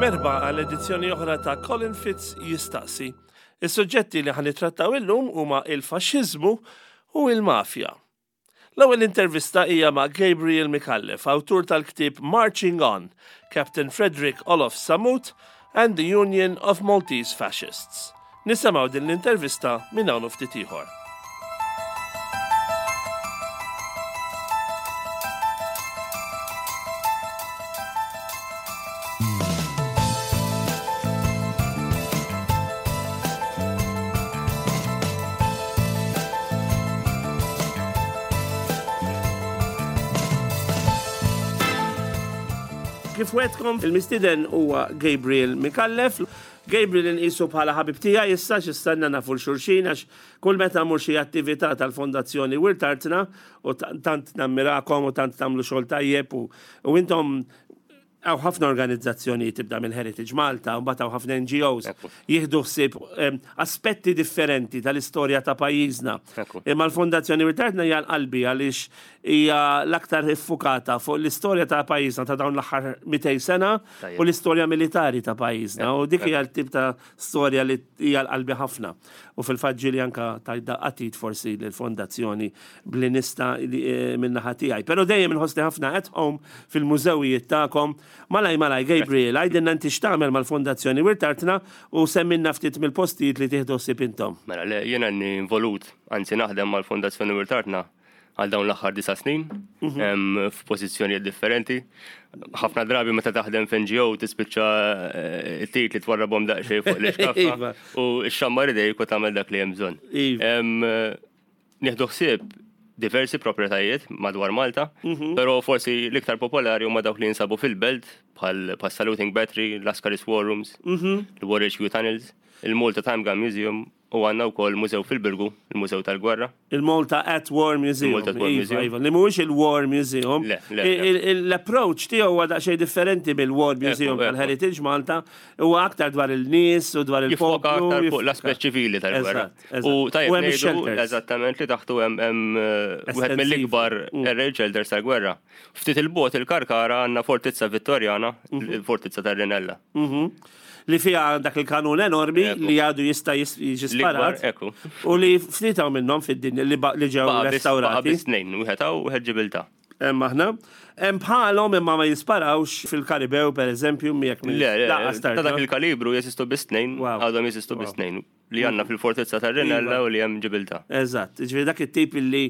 Merħba għal edizzjoni oħra ta' Colin Fitz jistaqsi. Is-suġġetti li ħa nittrattaw illum huma il-faxxiżmu u il-mafja. L-ewwel intervista hija ma' Gabriel Micallef, awtur tal-ktieb Marching On, Captain Frederick Olof Sammut and the Union of Maltese Fascists. Nisimgħu din l-intervista minn hawn u ftit ieħor. Kif wetkom, il-mistiden huwa Gabriel Mikallef. Gabriel inqisu bħala ħabib tiegħi issa x'istanna nafu l-xulxin għax kull meta mmur xi attività tal-Fondazzjoni Wirt Artna u tant nammirakom u tant tagħmlu xogħol tajjeb u intom Hawn ħafna organizzazzjonijiet tibda minn Heritage Malta, u mbagħad hawn ħafna NGOs jieħdu ħsieb aspetti differenti tal-istorja ta' pajjiżna. Imma l-Fondazzjoni Wirt Artna hija l-qalbi għaliex hija l-aktar iffukata fuq l-istorja ta' pajjiżna ta' dawn l-aħħar 200 sena u l-istorja militari ta' pajjiżna. U dik hija l-tip ta' storja li hija l-qalbi ħafna. U fil-fatt ġieli anke tajt daqqa t'id forsi lill-fondazzjoni b'li nista' eh, min-naħa tiegħi. Però dejjem inħossni ħafna at home fil-mużewijiet tagħkom. Malaj malaj Gabriel, għidilna inti x'tagħmel mal-Fondazzjoni Wirt Artna u semmilna ftit mill-postijiet li tieħdu ħsieb intom. Mela le, jiena involut, anzi naħdem mal-Fondazzjoni Wirt Artna għal dawn l-aħħar disa' snin mhm. f'pożizzjonijiet differenti. Ħafna drabi meta taħdem f'NGO tispiċċa eh, it-tit li twarrabhom daqsxejn fuq l-iskaffa iva. u x-xammar idejk u tagħmel dak li hemm bżonn. Iva. Nieħdu ħsieb diversi proprjetajiet madwar Malta, mhm. però forsi l-iktar popolari huma dawk li jinsabu fil-belt bħal Saluting Battery, Lascaris War Rooms, mhm. il-War HQ Tunnels, il-Malta Time Gun Museum U għandna wkoll mużew fil-Birgu, il-Mużew tal-Gwerra. Il-Malta at War Museum. Il-Malta at War iva, Museum. Iva, li mhuwiex il-War Museum. Le, le, le. L-approach tiegħu huwa daqsxejn differenti mill-War Museum tal-Heritage Malta, huwa aktar dwar il-nies u dwar Jiffoka il-poplu. aktar fuq l-aspett ċivili tal-gwerra. Eżatt, U eżatt. U tajjeb hemm ngħidu ix-shelters. eżattament li taħtu hemm hemm eh, wieħed Estensiv. mill-ikbar air raid shelters tal-gwerra. Ftit il-bogħod il-Karkara għandna fortizza Vittorjana, il-fortizza tar-Rinella. Mhm. Li fiha dak il-kanun enormi li għadu jista' jiġi sparat. Ekku. U li ftit hawn minnhom fid-dinja li li ġew restaurati. Baqa' biss tnejn, wieħed hawn u wieħed Ġibiltà. Hemm aħna. Hemm bħalhom imma ma jisparawx fil-Karibew pereżempju jekk Le, le, ta' dak il-kalibru jeżistu biss tnejn, għadhom jeżistu biss tnejn. Li għandna fil-fortizza tar-Rinella u li hemm Ġibiltà. Eżatt, jiġifieri dak it-tip li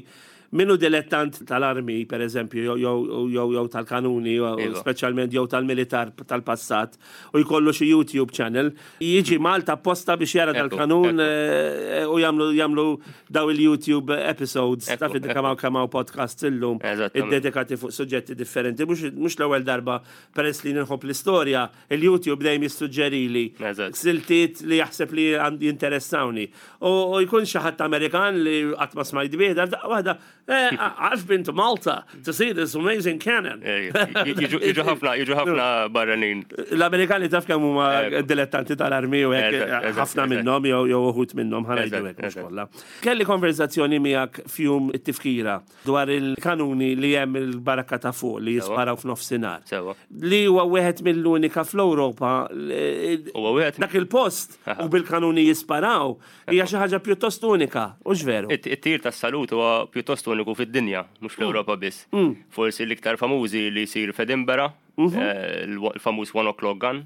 min hu dilettant tal-armi, per eżempju, jew tal-kanuni, iva. speċjalment jew tal-militar tal-passat, u jkollu xi YouTube channel, jiġi Malta apposta biex jara dal-kanun eh, u jagħmlu jagħmlu daw il-YouTube episodes, taf kemm kemm hawn podcasts illum iddedikati fuq suġġetti differenti, mhux l-ewwel darba peress li nħobb l-istorja, Il-YouTube dejjem jissuġġerili siltiet li jaħseb li jinteressawni. U jkun xi ħadd Amerikan li qatt ma smajt bih, daqqa waħda, eh, I've been to Malta to see this amazing cannon. Eh, jiġu ħafna, jiġu ħafna barranin. L-Amerikani taf kemm huma eh, dilettanti tal-armi u hekk ħafna minnhom jew uħud minnhom ħanajdu hekk mhux kollha. Kelli konverzazzjoni miegħek fjum it-tifkira dwar il-kanuni li hemm il-barakka ta' fuq li jisparaw f'nofsinhar. Sewa. Li huwa wieħed mill-unika fl-Ewropa. Huwa wieħed dak il-post u bil-kanuni jisparaw hija xi ħaġa pjuttost unika, hux veru? It-tir tas-salut huwa pjuttost uniku fid-dinja, mhux fl-Ewropa biss. Mm. Forsi l-iktar famużi li jsir f'Edinburgh, mhm. eh, l-famuż One O'Clock Gun,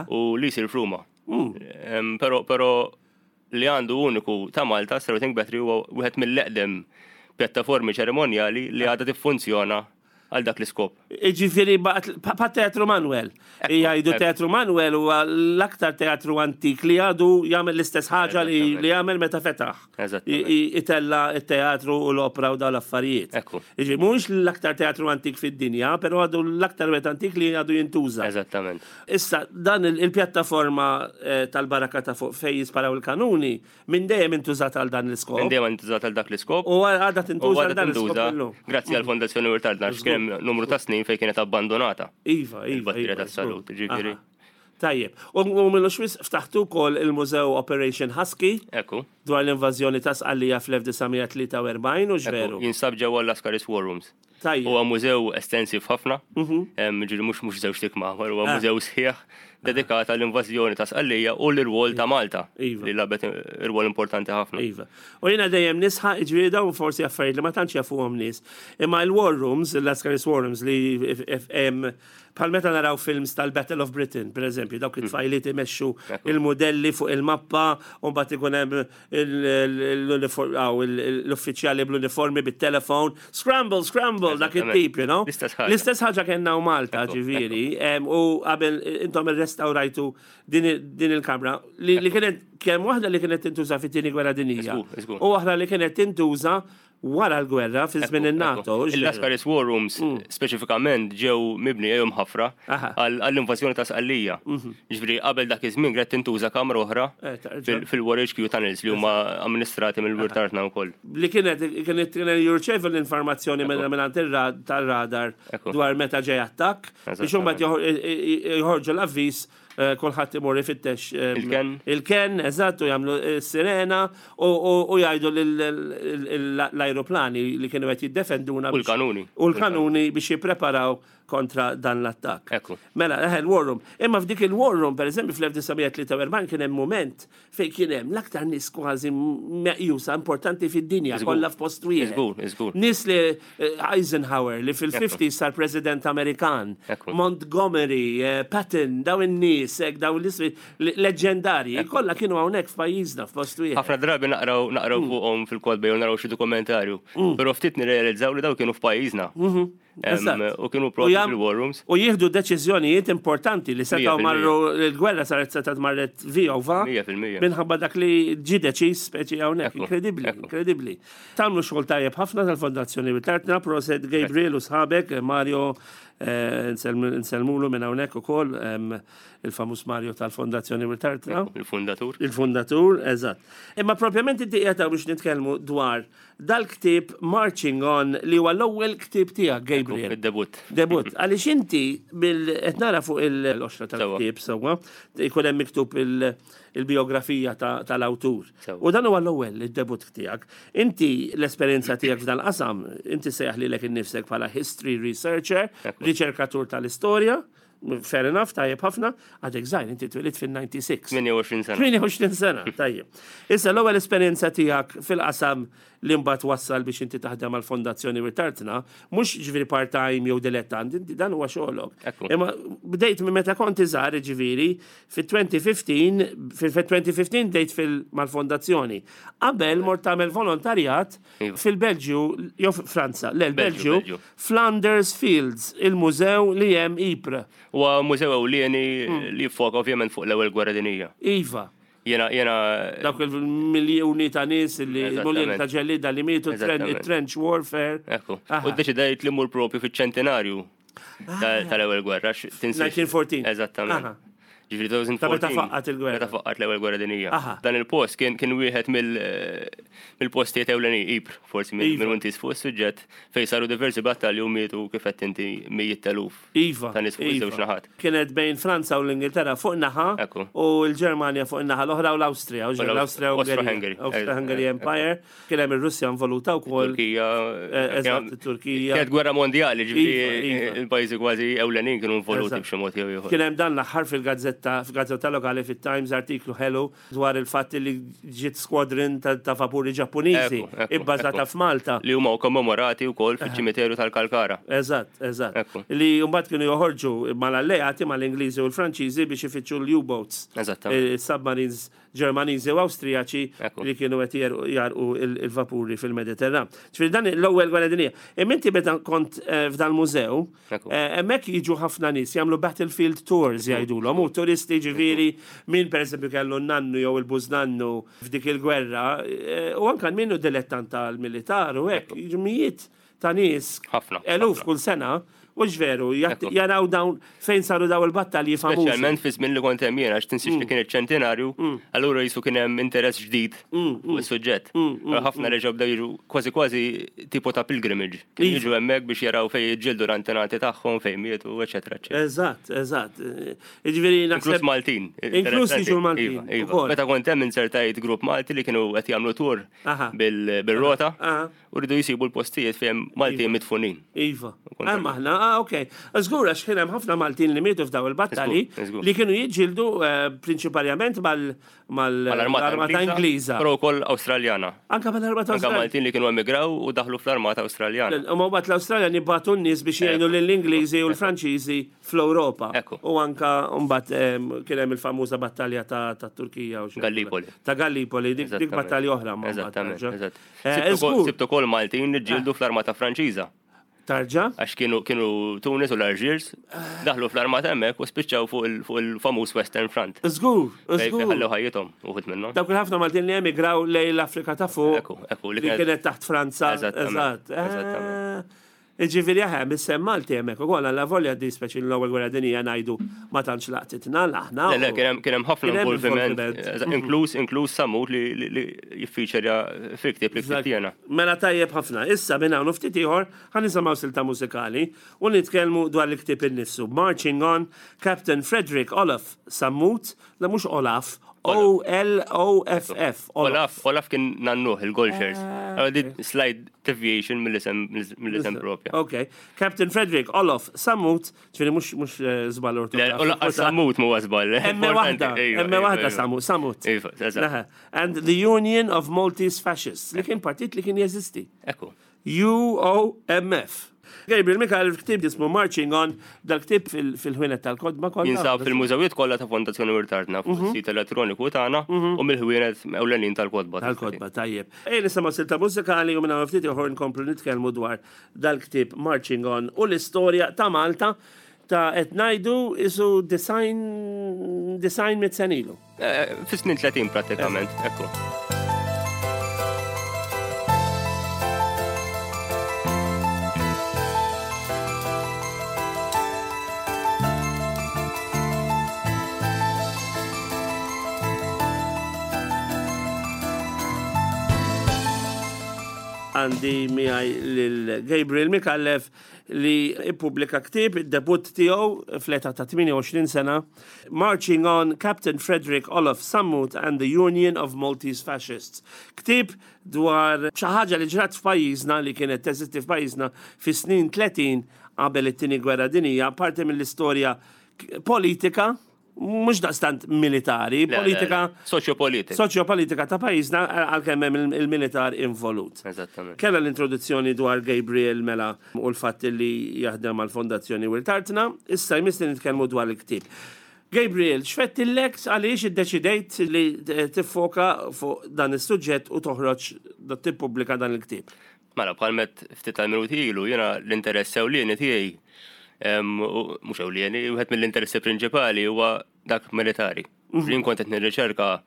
u li jsir f'Ruma. Mm. Però però li għandu uniku ta' Malta, Saluting Battery huwa wieħed mill-eqdem pjattaformi ċerimonjali li għadha tiffunzjona għal dak l-iskop. Jiġifieri bħat Teatru Manuel. Jgħidu Teatru Manuel huwa l-aktar teatru antik li għadu jagħmel l-istess ħaġa li jagħmel meta fetaħ. Itella' t-teatru u l-opra u dawn l-affarijiet. Jiġifieri mhuwiex l-aktar teatru antik fid-dinja, però għadu l-aktar wieħed antik li għadu jintuża. Eżattament. Issa, dan il-pjattaforma tal-baraka ta' fuq fejn jisparaw il-kanuni, minn dejjem intużat għal dan l-iskop. Minn dejjem intużat għal dak l-iskop. U għadha tintuża għal dan l-iskop illum. Grazzi għall-Fondazzjoni Wirt Artna, għax kien hemm numru ta' snin fejn kienet abbandonata. Iva, iva. Il-batterija tas-salut, ġifieri. Tajjeb. U m'ilux wisq ftaħtu wkoll il-Mużew Operation Husky. Ekku. Dwar l-invażjoni ta' Sqallija fl-1943, hux veru? Jinsab ġewwa l-Lascaris War Rooms. Tajjeb. Huwa mużew estensiv ħafna, ġifieri mhux mhux żewġt ikmamar, huwa mużew sħiħ. dedikata l-invażjoni ta' Sqallija u l-irwol ta' Malta Iva. li labet irwol importanti ħafna. Iva. U jiena dejjem nisħaq, ġifieri dawn forsi affarijiet li ma tantx jafuhom nies. Imma il-war rooms, il-Lascaris war rooms li hemm bħal meta naraw films tal-Battle of Britain, per eżempju, dawk it-tfajliet imexxu il-modelli fuq il-mappa, u mbagħad ikun hemm l-uffiċjali bl-uniformi bit-telefon, scramble, scramble, dak it-tip, you know? L-istess ħaġa. L-istess ħaġa kellna u Malta, ġifieri, u qabel intom irrestawrajtu din il-kamra li kienet kemm waħda li kienet tintuża fit-tieni gwerra dinjija. Żgur, żgur. U waħda li kienet tintuża wara l-gwerra fi żmien in-NATO. hux veru? Il-Lascaris War Rooms speċifikament ġew mibni jew mħaffra Aha. għall-invażjoni ta' Sqallija. Ġifieri qabel dak iż-żmien kienet tintuża kamra oħra Eh, tarġa. fil-War HQ Tunnels li huma amministrati mill-Wirt Artna wkoll. Li kienet kienet kienet jirċevu l-informazzjoni minn tal-radar Ekku. dwar meta ġej attakk biex imbagħad joħorġu l-avviż kulħadd imur ifittex Il-ken. Il-ken, eżatt, u jagħmlu sirena u jgħidu l-ajruplani li kienu qed jiddefenduna. U l-kanuni. U l-kanuni biex jippreparaw kontra dan l-attakk. Ekku. Mela, eħe, l-war room. Imma f'dik il-war room, per eżempju, fl-1943 kien hemm moment fejn kien hemm l-aktar nies kważi meqjusa importanti fid-dinja kollha f'post wieħed. Żgur, żgur. Nies li Eisenhower li fil-50s sar President Amerikan, Ekku. Montgomery, Patton, daw in-nies, hekk daw l-ismi leġendarji, kollha kienu hawnhekk f'pajjiżna f'post wieħed. Ħafna drabi naqraw naqraw fuqhom fil-kotba jew naraw xi dokumentarju, però ftit nirrealizzaw li daw kienu f'pajjiżna. Eżatt. U kienu U propju jam- fil-war rooms. U jieħdu deċiżjonijiet importanti li setgħu 100%. marru l-gwerra saret setgħet marret vijova 100%. minħabba dak li ġi deċiż speċi hawnhekk. Ekku, Inkredibbli, ekku. inkredibbli. Tagħmlu xogħol tajjeb ħafna tal-Fondazzjoni Wirt Artna, proset Gabriel u sħabek, Mario nsellmulu minn hawnhekk ukoll il-famuż Mario tal-Fondazzjoni Wirt Artna. Il-fundatur. Il-fundatur, eżatt. Imma propjament inti qiegħed biex nitkellmu dwar dal-ktieb Marching On li huwa l-ewwel ktieb tiegħek, Gabriel. Id-debut. Debut, għaliex inti bil qed nara fuq il-oxra tal-ktieb sewwa, jkun hemm miktub il-biografija tal-awtur. Sewwa. U dan huwa l-ewwel id-debut tiegħek. Inti l-esperjenza tiegħek f'dan qasam, inti sejjaħ lilek innifsek bħala history researcher, riċerkatur tal-istorja, fair enough, tajjeb ħafna, għadek żgħir, inti twilidt fil-96. 28 sena. 28 sena, tajjeb. Issa l-ewwel esperjenza tiegħek fil-qasam li mbagħad wassal biex inti taħdem għal Fondazzjoni Wirt Artna, mhux ġifieri part-time jew dilettant, inti dan huwa xogħolok. Ekku. Imma bdejt minn meta kont iżgħar, ġifieri, fit-2015, fil-2015 bdejt mal-fondazzjoni. Qabel mort tagħmel volontarjat Iva. fil-Belġju jew Franza, le l-Belġju, Belġju. Flanders Fields, il-mużew li hemm Ypres. Huwa mużew ewlieni li jiffoka ovvjament fuq l-ewwel gwerra dinjija. Iva. Jena, jena, Dawk il-miljoni ta' nies li Eżattament. miljoni ta' ġellida li mietu Eżattament. trench warfare. ekku. Aha. U deċidejt li mur propju fiċ-ċentenarju tal-ewwel gwerra. għax tinsiex- 1914. Aha. Eżattament. Ġifieri 2014. Ta' meta faqqat il-gwerra. Meta faqqat l-ewwel gwerra dinjija. Aha. Dan il-post kien wieħed mill-postijiet ewleni Ypres, forsi Iva. minn inti fuq is-suġġett fejn saru diversi battalji u mietu kif qed inti mijiet teluf. Iva. Ta' nies fuq Iva. iż-żewġ naħat. Kienet bejn Franza u l-Ingilterra fuq naħa Ekku. u l-Ġermanja fuq naħa l-oħra u l-Awstrija. U l-Awstrija u Austro-Hungary. Austro-Hungary Empire. Kien hemm ir-Russja involuta wkoll. Turkija. Eżatt, it-Turkija. Kienet gwerra mondjali, Iva, ġifieri iva. il-pajjiżi kważi ewlenin kienu involuti Eżatt. b'xi mod jew ieħor. Kien hemm dan l-aħħar fil-gazzetta, fil-gazzetta lokali fit-Times artiklu ħelu dwar il-fatt li ġiet squadron ta' vapuri Ġappuniżi Ekku, ekku, ibbażata ekku. f'Malta. Li huma kommemorati wkoll fiċ-ċimiterju tal-Kalkara. Eżatt, eżatt. Ekku. Li mbagħad kienu joħorġu mal-alleati mal-Ingliżi u l-Franċiżi biex ifittxu l-U-boats. Eżattament. Submarines Ġermaniżi u Awstrijaċi Ekku. li kienu qed jarqu il-vapuri fil-Mediterran. Ġifieri dan l-ewwel gwerra dinjija. Imma inti meta kont f'dan mużew, Ekku. hemmhekk jiġu ħafna nies jagħmlu battlefield tours jgħidulhom u turisti ġifieri min pereżempju kellu n-nannu jew il-bużnannu f'dik il-gwerra u anke min hu dilettant tal-militar u hekk jiġu mijiet ta' nies Ħafna, eluf ħafna. kull sena u veru Ekku. jaraw dawn fejn saru daw il-battalji famużi. Speċjalment fi żmien li kont hemm jien għax tinsiex li kien iċ-ċentenarju, allura jisu kien hemm interess ġdid fuq is-suġġett. Ħafna reġgħu bdew jiġu kważi kważi tipo ta' pilgrimage. Kienu Iva. jiġu hemmhekk biex jaraw fejn jiġġieldu l-antenati tagħhom, fejn mietu, eċetera, eċetera. Eżatt, eżatt. Jiġifieri Inkluż naħseb Maltin. Inkluż interessanti. jiġu l-Maltin, Iva, iva. ukoll. Meta kont hemm insertajt grupp Malti li kienu qed jagħmlu tour Aha. bil-rota Aha. u rridu jsibu l-postijiet fejn Maltin Iva. midfunin. Iva. Kont Hemm aħna Ah, ok. Żgur għax kien hemm ħafna Maltin li mietu f'daw il-battalji li kienu jiġġieldu eh, prinċipalment mal-armata Ingliża. Però wkoll Awstraljana. Anka mal-armata Anka Maltin li kienu emigraw u daħlu fl-armata Awstraljana. U ma mbagħad l-Awstraljani bagħtu n-nies biex jgħinu lill-Ingliżi u l-Franċiżi fl-Ewropa. U anka mbagħad kien hemm il-famuża battalja ta' Turkija u Gallipoli. Ta' Gallipoli, dik battalja oħra. Eżattament. Eh, Sibtu kol Maltin li ġildu fl-armata Franċiża. Tarġa? Għax kienu kienu Tunis u l-Alġiers, daħlu fl-armata hemmhekk u spiċċaw fuq il-famuż Western Front. Żgur, żgur. Ħallew ħajjithom uħud minnhom. Dawk il-ħafna Maltin li emigraw lejn l-Afrika ta' fuq. Ekku, ekku, li kienet taħt Franza. Eżatt. Eżatt. Ġifieri aħe, mis-sem Malti hemmhekk ukoll għal volja di speċi l-ewwel gwerra dinija ngħidu ma tantx laqtitna l-aħna. Le, le, kien hemm ħafna involviment, inkluż inkluż Samut li jiffiċerja fil-ktieb li ktibt jiena. Mela tajjeb ħafna. Issa minn hawn u ftit ieħor ħa nisimgħu silta mużikali u nitkellmu dwar il-ktieb innifsu. Marching On, Captain Frederick Olaf Sammut, le mhux Olaf, O-L-O-F-F. Olaf, Olaf kien nannuh il-Golfers. Ah, di slight deviation mill-isem mill-isem propja. Ok. Captain Frederick Olaf Sammut, ġifieri mhux mhux eh, żball ortografiku. Le, Sammut mhuwa żball. Emme waħda, emme waħda Sammut, Sammut. Iva, eżatt. And the Union of Maltese Fascists, li kien partit li kien jeżisti. Ekku. UOMF. Gabriel Mikael ktib jismu Marching On, dal-ktib fil-ħwienet tal-kodba kollha. Jinsab fil-mużewijiet kollha ta' Fondazzjoni Wirt Artna fuq mhm. sit elettroniku tagħna mhm. u mill-ħwienet ewlenin tal-kodba. Tal-kodba, tajjeb. Ejja nisimgħu silta mużikali u minn hawn ftit ieħor nkomplu nitkellmu dwar dal-ktieb Marching On u l-istorja ta' Malta ta' qed ngħidu isu design design mit senilu. Eh, fis-snin 30 pratikament, ekku. Għandi miegħi lil Gabriel Micallef li ippubblika ktieb id-debutt tiegħu fl-età ta' 28 sena, Marching On, Captain Frederick Olaf Sammut and the Union of Maltese Fascists. Ktieb dwar xi ħaġa li ġrat f'pajjiżna li kienet teżisti f'pajjiżna fis-snin 30 qabel it-Tieni Gwerra Dinjija, parti mill-istorja politika mhux daqstant militari, politika. Soċjopolitika. Soċjopolitika ta' pajjiżna għalkemm hemm il-militar involut. Eżattament. Kellha l-introduzzjoni dwar Gabriel mela u l-fatt li jaħdem mal-Fondazzjoni Wirt Artna, issa jmiss li nitkellmu dwar il-ktieb. Gabriel, x'fettillek għaliex iddeċidejt li tiffoka fuq dan is-suġġett u toħroġ tippubblika dan il-ktieb? Mela, bħal met ftit tal-minuti ilu, jiena l-interess ewlieni tiegħi, mhux ewlieni, wieħed mill-interessi prinċipali huwa dak militari. Mhm. Jien kont qed nirriċerka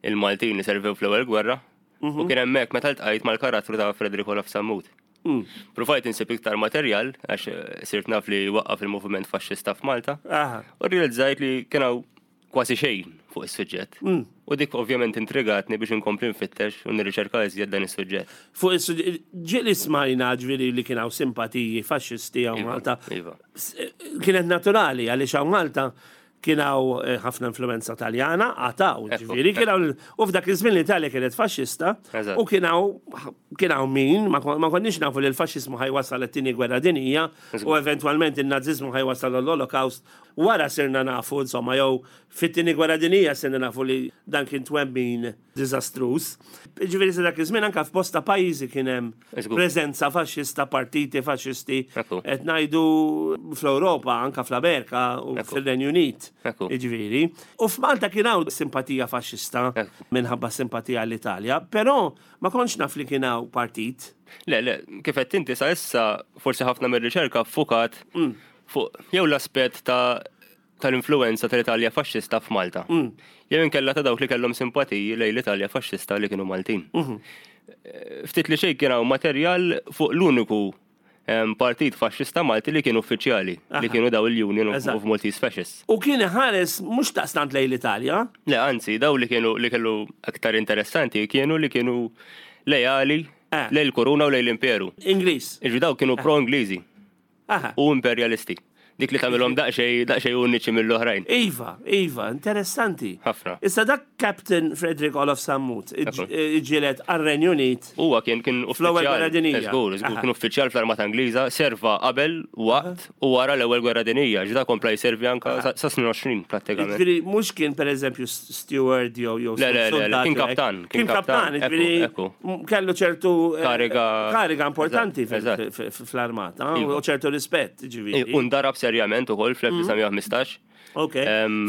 il-Maltin li servew fl-ewwel gwerra u mhm. kien hemmhekk meta ltqajt mal-karattru ta' Frederick Olaf Sammut. Mm. Provajt insib iktar materjal għax eh, sirt naf li waqqaf il-moviment faxxista f'Malta. U realizzajt li kien hawn kważi xejn fuq is-suġġett. Mm. U dik ovvjament intrigatni biex inkompli nfittex u nirriċerka iżjed dan is-suġġett. Fuq is-suġġett, ġieli smajna ġifieri li kien hawn simpatiji faxxisti hawn iva, Malta. Iva. Kienet naturali għaliex hawn Malta kien hawn eh, ħafna influenza Taljana, għataw, ġifieri kien hawn u f'dak iż-żmien l-Italja kienet faxxista u kien hawn kien hawn min ma konniex nafu li l-faxxiżmu ħajwasal it-tieni gwerra dinjija u eventwalment in-naziżmu ħajwasal l-Holocaust Wara sirna nafu, insomma, jew fit-Tieni Gwerra Dinjija sirna nafu li dan kien twemmin diżastruż. Jiġifieri sa dak iż-żmien anke f'bosta pajjiżi kien hemm preżenza faxxista, partiti faxxisti, qed ngħidu fl-Ewropa, anke fl-Amerika u fir-Renju Unit. Jiġifieri. U f'Malta kien hawn simpatija faxxista minħabba simpatija għall-Italja, però ma kontx naf li kien hawn partit. Le, le, kif għedt inti sa issa forsi ħafna mir-riċerka ffukat fuq jew l-aspett ta' tal-influenza tal-Italja faxxista f'Malta. Mm. Jew inkella ta' dawk li kellhom simpatiji lejn l-Italja faxxista li kienu Maltin. Mhm. Eh, ftit li xejn kien hawn materjal fuq l-uniku partit faxxista Malti li kienu uffiċjali, li kienu daw il-Union of Maltese Fascists. U kien ħares mhux taqstant lejn l-Italja? Le, anzi, daw li kienu li kellu aktar interessanti kienu li kienu lejali eh. lejn il-Koruna u lejn l-Imperu. Ingliż. Iġi daw kienu pro-Ingliżi. U imperjalisti. Dik li tagħmilhom daqsxejn daqsxejn uniċi mill-oħrajn. Iva, iva, interessanti. Ħafna. Issa dak Captain Frederick Olof Sammut iġġieled għar-Renju Unit. Huwa kien kien Fl-Ewwel Gwerra Dinjija. Żgur, żgur, kien uffiċjal fl-Armata Ingliża, serva qabel, waqt u wara l-Ewwel Gwerra Dinjija, ġda kompla jservi anka sa snin 20 prattikament. Ġifieri mhux kien pereżempju steward jew jew Le, le, le, kien kaptan. Kien kaptan, ġifieri kellu ċertu eh, kariga kariga importanti fl-armata u ċertu rispett, ġifieri. U ndarab serjament ukoll fl-1915. Ok.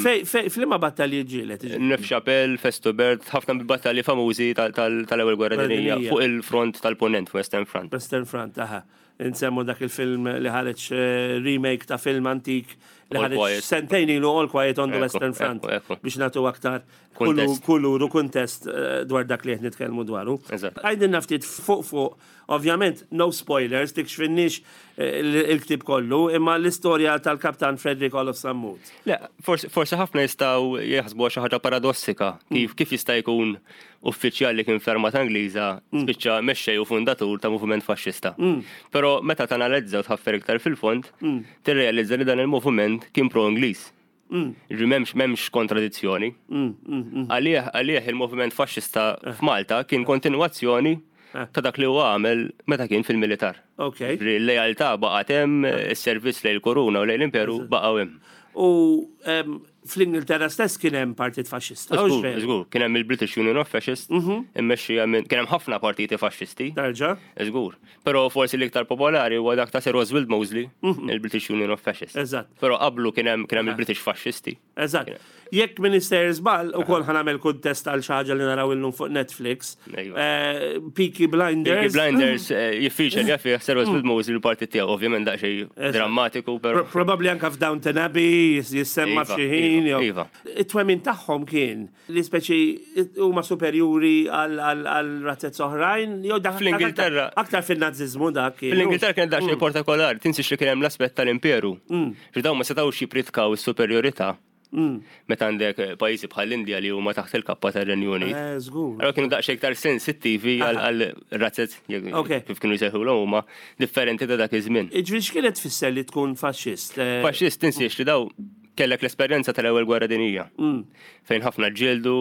Fej, flima battalji ġielet? Nefxapel, Festubert, ħafna battalji famużi tal-ewwel gwerra dinjija fuq il-front tal-ponent, Western Front. Western Front, aha. Insemmu dak il-film li ħareġ eh, remake ta' film antik li ħareġ sentejn ilu All Quiet on the Western Front biex natu aktar kulur u kuntest eh, dwar dak li qed nitkellmu dwaru. Għajdilna ftit fuq fuq, ovvjament no spoilers, tikxfinniex eh, il-ktib kollu, imma l-istorja tal-Kaptan Frederick Olof Sammut. Le, forsi ħafna jistgħu jaħsbu xi ħaġa paradossika, kif kif jista' jkun uffiċjal li kien fl-Armata Ingliża spiċċa mexxej u fundatur ta' moviment faxxista. Però meta tanalizza u tħaffer iktar fil-fond, tirrealizza li dan il-moviment kien pro-Ingliż. Ġifieri m'hemmx m'hemmx kontradizzjoni. Għalih għalih il-moviment faxxista f'Malta kien kontinwazzjoni ta' dak li huwa għamel meta kien fil-militar. Ġifieri l-lealtà baqgħet hemm, is-servizz lejn il-kuruna u lejn l-imperu baqgħu hemm. U fl-Ingilterra stess kien hemm partit faxxista. Żgur, żgur, kien hemm il-British Union of Fascists, immexxija minn kien hemm ħafna partiti faxxisti. Terġa'. Żgur. Però forsi l-iktar popolari huwa dak ta' Sir Oswald Mosley, il-British Union of Fascists. Eżatt. Però qablu kien hemm kien hemm il-British Fascisti. Eżatt. Jekk min sejjer żball, ukoll ħa nagħmel kuntest għal xi ħaġa li naraw illum fuq Netflix. Ejwa. Peaky Blinders. Peaky Blinders jiffiċer fih Sir Oswald Mosley l-partit tiegħu, ovvjament daqsxejn drammatiku, però. Probabbli anke f'Downton Abbey jissemma f'xi ħin. Iva. It-twemmin tagħhom kien li speċi huma superjuri għal razzez oħrajn, jew dak Fl-Ingilterra. Aktar fil-Naziżmu dak. Fl-Ingilterra kien daqsxejn partikolari, tinsiex li kien hemm l-aspett tal-imperu. Ġi dawn ma setgħux jippritkaw is-superjorità meta għandek pajjiżi bħall-Indja li huma taħt il-kappa tar-Renju Unit. Żgur. Allura kienu daqsxejn iktar sensittivi għal razzez kif kienu jsejħulhom huma differenti ta' dak iż-żmien. Ġifieri x'kienet tfisser li tkun faxxist? Faxxist tinsiex li daw kellek l-esperjenza tal-ewwel gwerra dinjija. Fejn ħafna ġġieldu,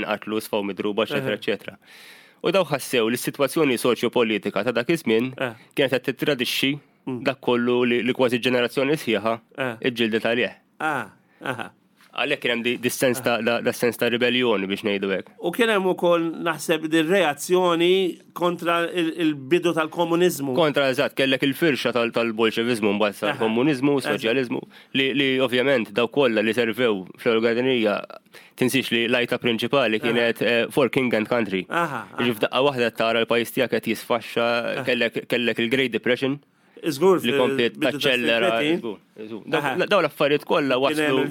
nqatlu, sfaw midruba, eċetera, eċetera. U daw ħassew li s-sitwazzjoni soċjopolitika ta' dak iż-żmien kienet qed tittradixxi dak kollu li kważi ġenerazzjoni sħiħa ġġieldet għalih. Għalhekk kien hemm dis-sens ta' da sens ta' ribellioni biex ngħidu hekk. U kien hemm ukoll naħseb din reazzjoni kontra il-bidu tal-komuniżmu. Kontra eżatt, kellek il-firxa tal-bolxeviżmu mbagħad sar komuniżmu, soċjaliżmu, li ovvjament daw kollha li servew fl-ewwel gwerra dinjija tinsiex li l-għajta prinċipali kienet for king and country. Ġi f'daqqa waħda tara l-pajjiż tiegħek qed jisfaxxa, kellek il-Great Depression. Żgur li kompliet taċċellera. Daw l-affarijiet kollha waslu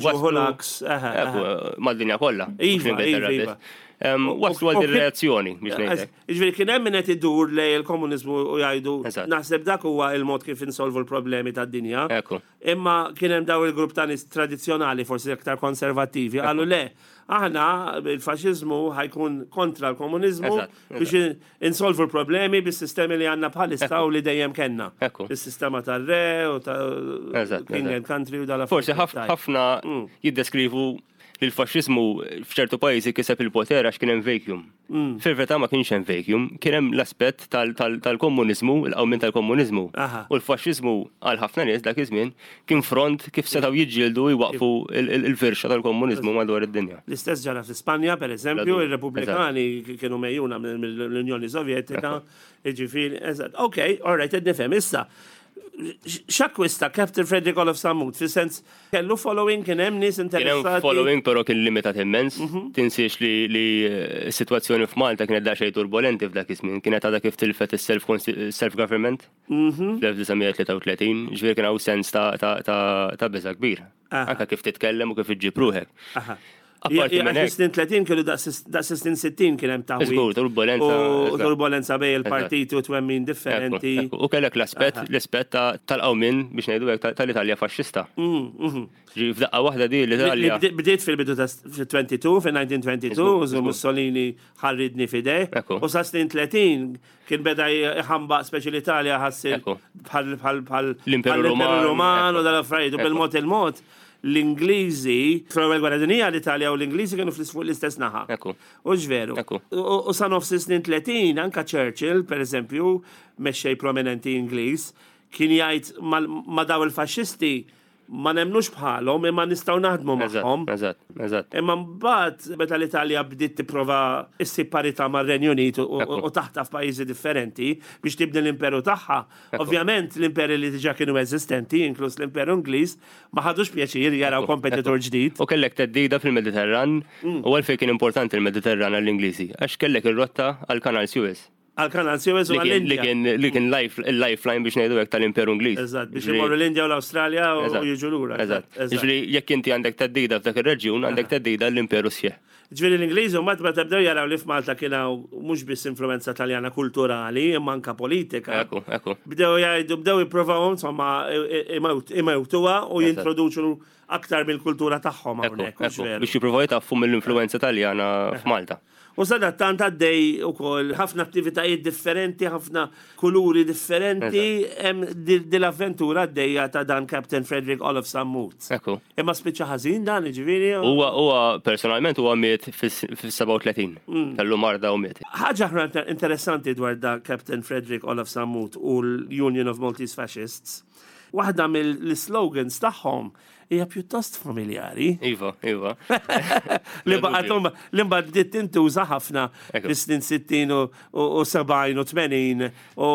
mad-dinja kollha. Iva, iva, iva. Waslu għal reazzjoni biex ngħidlek. Jiġifieri kien hemm min qed idur lejn il-komuniżmu u jgħidu naħseb dak huwa il-mod kif insolvu l-problemi tad-dinja. Imma kien hemm daw il-grupp ta' nies tradizzjonali forsi aktar konservattivi qalu le, aħna il-faxxiżmu ħa jkun kontra l-komuniżmu biex insolvu l-problemi bis-sistemi li għandna bħalissa u li dejjem kellna. Is-sistema tar-re u ta' king and country u dal Forsi ħafna jiddeskrivu li l-faxxiżmu f'ċertu pajjiżi kiseb il-poter għax kien hemm vacuum. Fil-verità ma kienx hemm vacuum, kien hemm l-aspett tal-komuniżmu, il-qawmien tal-komuniżmu. U l-faxxiżmu għal ħafna nies dak iż-żmien kien front kif setgħu jiġġieldu jwaqfu il-firxa tal-komuniżmu madwar id-dinja. L-istess ġara fl-Ispanja, per eżempju, ir-Repubblikani kienu megħjuna mill-Unjoni Sovjetika, jiġifieri, eżatt. Ok, all right, qed nifhem. Issa, x'akkwista Captain Frederick Olof Sammut, fis-sens kellu following, kien hemm nies Kien hemm interessati. following però kien limitat immens. Tinsiex li s-sitwazzjoni f'Malta kienet daqsxejn turbolenti f'dak iż-żmien. Kienet għadha kif tilfet is-self government fl-1933, ġifieri kien hawn sens ta' biża' kbir. Anke kif titkellem u kif iġġib ruħek. Apparti minn hekk. Snin 30 kienu daqs snin 60 kien hemm taħwid. Żgur, turbolenza. U turbolenza bejn il-partiti u twemmin differenti. U kellek l-aspett l-aspett tal-qawmien biex ngħidu hekk tal-Italja faxxista. Ġi f'daqqa waħda di l-Italja. Bdiet fil-bidu ta' 22, fil-1922, Mussolini ħarridni fideh. U sa snin 30 kien beda jħambaq speċi l-Italja ħassil bħal bħal l-Imperu Roman u dal-affarijiet u bil-mod il-mod l-Ingliżi, fl-ewwel gwerra dinija l-Italja u l-Ingliżi kienu fuq l-istess naħa. U ġveru. U sa nofs snin 30 anka Churchill, per eżempju, mexxej prominenti Ingliż, kien jgħid ma daw il-faxxisti ma nemnux bħalhom imma nistgħu naħdmu magħhom. Eżatt, eżatt. Imma mbagħad meta l-Italja bdiet tipprova issib parità mar-Renju Unit u taħtaf pajjiżi differenti biex tibni l-imperu tagħha. Ovvjament l-imperi li diġà kienu eżistenti, inkluż l-Imperu Ingliż, ma ħadux pjaċir jaraw kompetitur ġdid. U kellek theddida fil-Mediterran u għalfejn kien importanti l-Mediterran għall-Ingliżi? Għax kellek ir-rotta għall-Kanal Suez. Għal-Kanal Suez u għall-Indja. Li kien il-lifeline biex ngħidu hekk tal-Imperu Ingliż. Eżatt, biex imorru l-Indja u l-Awstralja u jiġu lura. Eżatt. Ġifieri jekk inti għandek theddida f'dak ir-reġjun, għandek theddida l-Imperu sħiħ. Ġifieri l-Ingliżi mbagħad meta bdew jaraw li f'Malta kien hawn mhux biss influwenza Taljana kulturali imma anke politika. Ekku, ekku. Bdew jgħidu, bdew jippruvaw insomma imewtuha u jintroduċu aktar mill-kultura tagħhom hawnhekk. Biex jippruvaw jtaffu mill-influwenza Taljana f'Malta. U sadattant għaddej ukoll ħafna attivitajiet differenti, ħafna kuluri differenti, hemm din l-avventura għaddejja ta' dan Captain Frederick Olaf Sammut. Ekku. Imma spiċċa ħażin dan, jiġifieri? Huwa huwa personalment huwa miet fis-37. Kellu marda u miet. Ħaġa oħra interessanti dwar da Captain Frederick Olaf Sammut u l-Union of Maltese Fascists, waħda mill-slogans tagħhom hija pjuttost familjari. Iva, iva. Li baqgħet li mbagħad bdiet tintuża ħafna fis-snin 60 u 70 u 80 u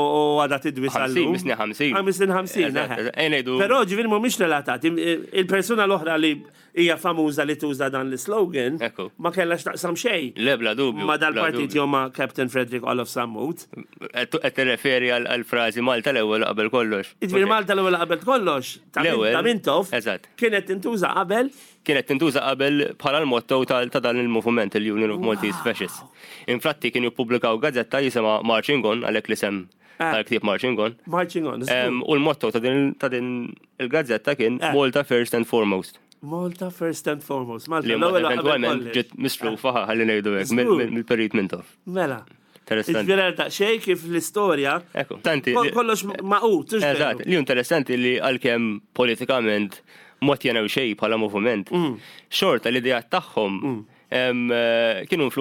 għadha tidwi sal-lum. Snin 50. Ah, snin 50. Però ġifieri mhumiex relatati. Il-persuna l-oħra li hija famuża li tuża dan l-slogan ma kellha x'taqsam xejn. Le bla dubju. Ma dal-partit jew ma' Captain Frederick Olof Sammut. Qed tirreferi għall-frażi Malta l-ewwel qabel kollox. Jiġifieri Malta l-ewwel qabel kollox. Ta' Mintoff. Eżatt. Kienet tintuża qabel. Kienet tintuża qabel bħala l-motto ta' dan il-moviment, il-Union of Maltese Fascists. Infatti kienu jippubblikaw gazzetta jisimha Marching On, għalhekk l-isem ah. tal-ktieb Marching On. Marching On. U l-motto ta' din il-gazzetta kien eh. Malta First and Foremost. Malta first and foremost. Malta l-ewwel eventwalment ġiet mislufa ħalli ngħidu hekk mill-Perit Mintoff. Mela. Interessanti. Ġifieri daqsxejn kif l-istorja. Ekku. Tanti. Kollox maqut. Eżatt, li interessanti li għalkemm politikament ma tjenew xejn bħala moviment, mm. xorta l-idea tagħhom mm. eh, kienu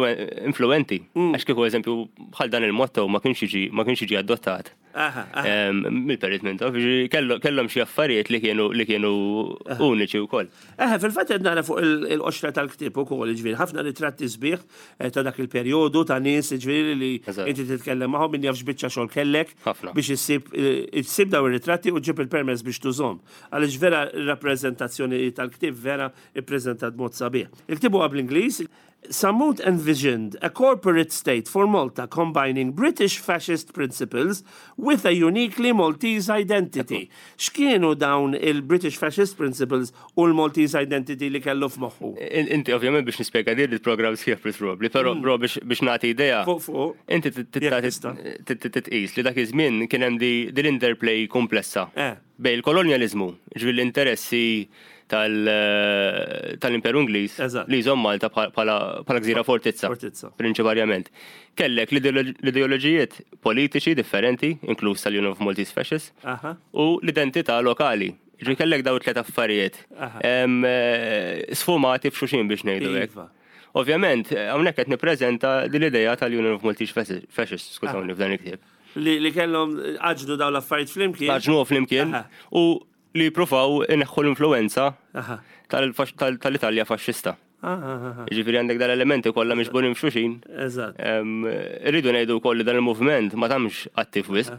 influenti. Mm. Għax kieku eżempju bħal dan il-motto ma kienx jiġi ma kienx jiġi adottat. Mill-perit minn taf, kellhom xi affarijiet li kienu li kienu uniċi wkoll. Eħe, fil-fatt qed nara fuq il-qoxra tal-ktieb ukoll, jiġifieri ħafna ritratti sbieħ eh, ta' dak il-perjodu ta' nies jiġifieri li inti titkellem magħhom min jaf x'biċċa xogħol kellek biex issib eh, issib daw ir-ritratti u ġib il-permess biex tużhom. Għaliex vera r-rappreżentazzjoni tal-ktieb vera ippreżentat mod sabiħ. Il-ktieb huwa bl-Ingliż, Sammut envisioned a corporate state for Malta combining British fascist principles with a uniquely Maltese identity. X'kienu dawn il-British fascist principles u l-Maltese identity li kellu f'moħħu? Inti ovvjament biex nispjega din il-programm sħiħ probabbli, però mm. biex nagħti idea. Fuq fuq. Inti titqis li dak iż-żmien kien hemm din l-interplay komplessa. Eh. Bejn il-kolonjaliżmu, ġifieri l-interessi tal-Imperu Ingliż li jżomm Malta bħala gżira fortizza. Prinċiparjament. Kellek l-ideoloġijiet politiċi differenti, inkluż tal-Union of Maltese Fascists, u l-identità lokali. Ġifieri kellek dawn it-tliet affarijiet eh, sfumati f'xulxin biex ngħidu hekk. Iva. Ovvjament, hawnhekk qed nippreżenta din l-idea tal-Union of Maltese Fascists, skużawni f'dan il-ktieb. Li kellhom għaġnu dawn l-affarijiet flimkien. Għaġnuhom flimkien u li jippruvaw ineħħu l-influwenza tal-Italja faxxista. Jiġifieri għandek dal-elementi kollha miġburin f'xulxin. Eżatt. Irridu ngħidu wkoll li dan il-moviment ma tamx attiv wisq.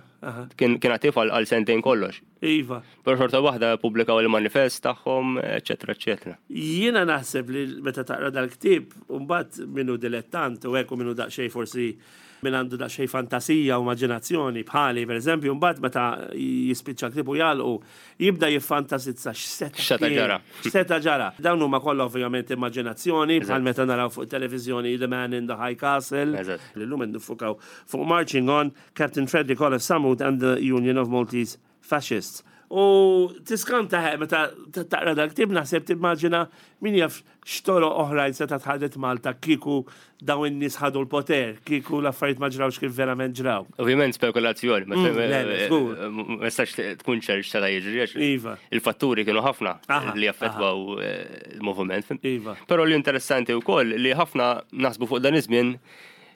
Kien attiv għal sentejn kollox. Iva. Però xorta waħda ppubblikaw il-manifest tagħhom, eċetera, eċetera. Jiena naħseb li meta taqra dal-ktieb, mbagħad minnu dilettant u hekk u minnu daqsxejn forsi. Min għandu daqsxejn fantasija u immaġinazzjoni bħali, pereżempju, mbagħad meta jispiċċa l-ktieb u jagħlqu, jibda jiffantasizza x'seta' X'seta' kien, ġara. x'seta' ġara. Dawn huma kollha ovvjament immaġinazzjoni, bħal meta naraw fuq it-televiżjoni The Man in the High Castle. Illum qed niffukaw fuq Marching On, Captain Frederick Olaf Sammut and the Union of Maltese Fascists. U tiskanta meta taqra dal-ktieb naħseb timmaġina min jaf x'toroq oħrajn setgħet ħadet Malta kieku dawn in-nies ħadu l-poter, kieku l-affarijiet ma ġrawx kif verament ġraw. Ovvjament spekulazzjoni, ma mm, tistax tkun ċert x'seta' jiġri għax iva. il-fatturi kienu ħafna li jaffettwaw eh, il-moviment. Iva. Però l-interessanti wkoll li ħafna naħsbu fuq dan iż-żmien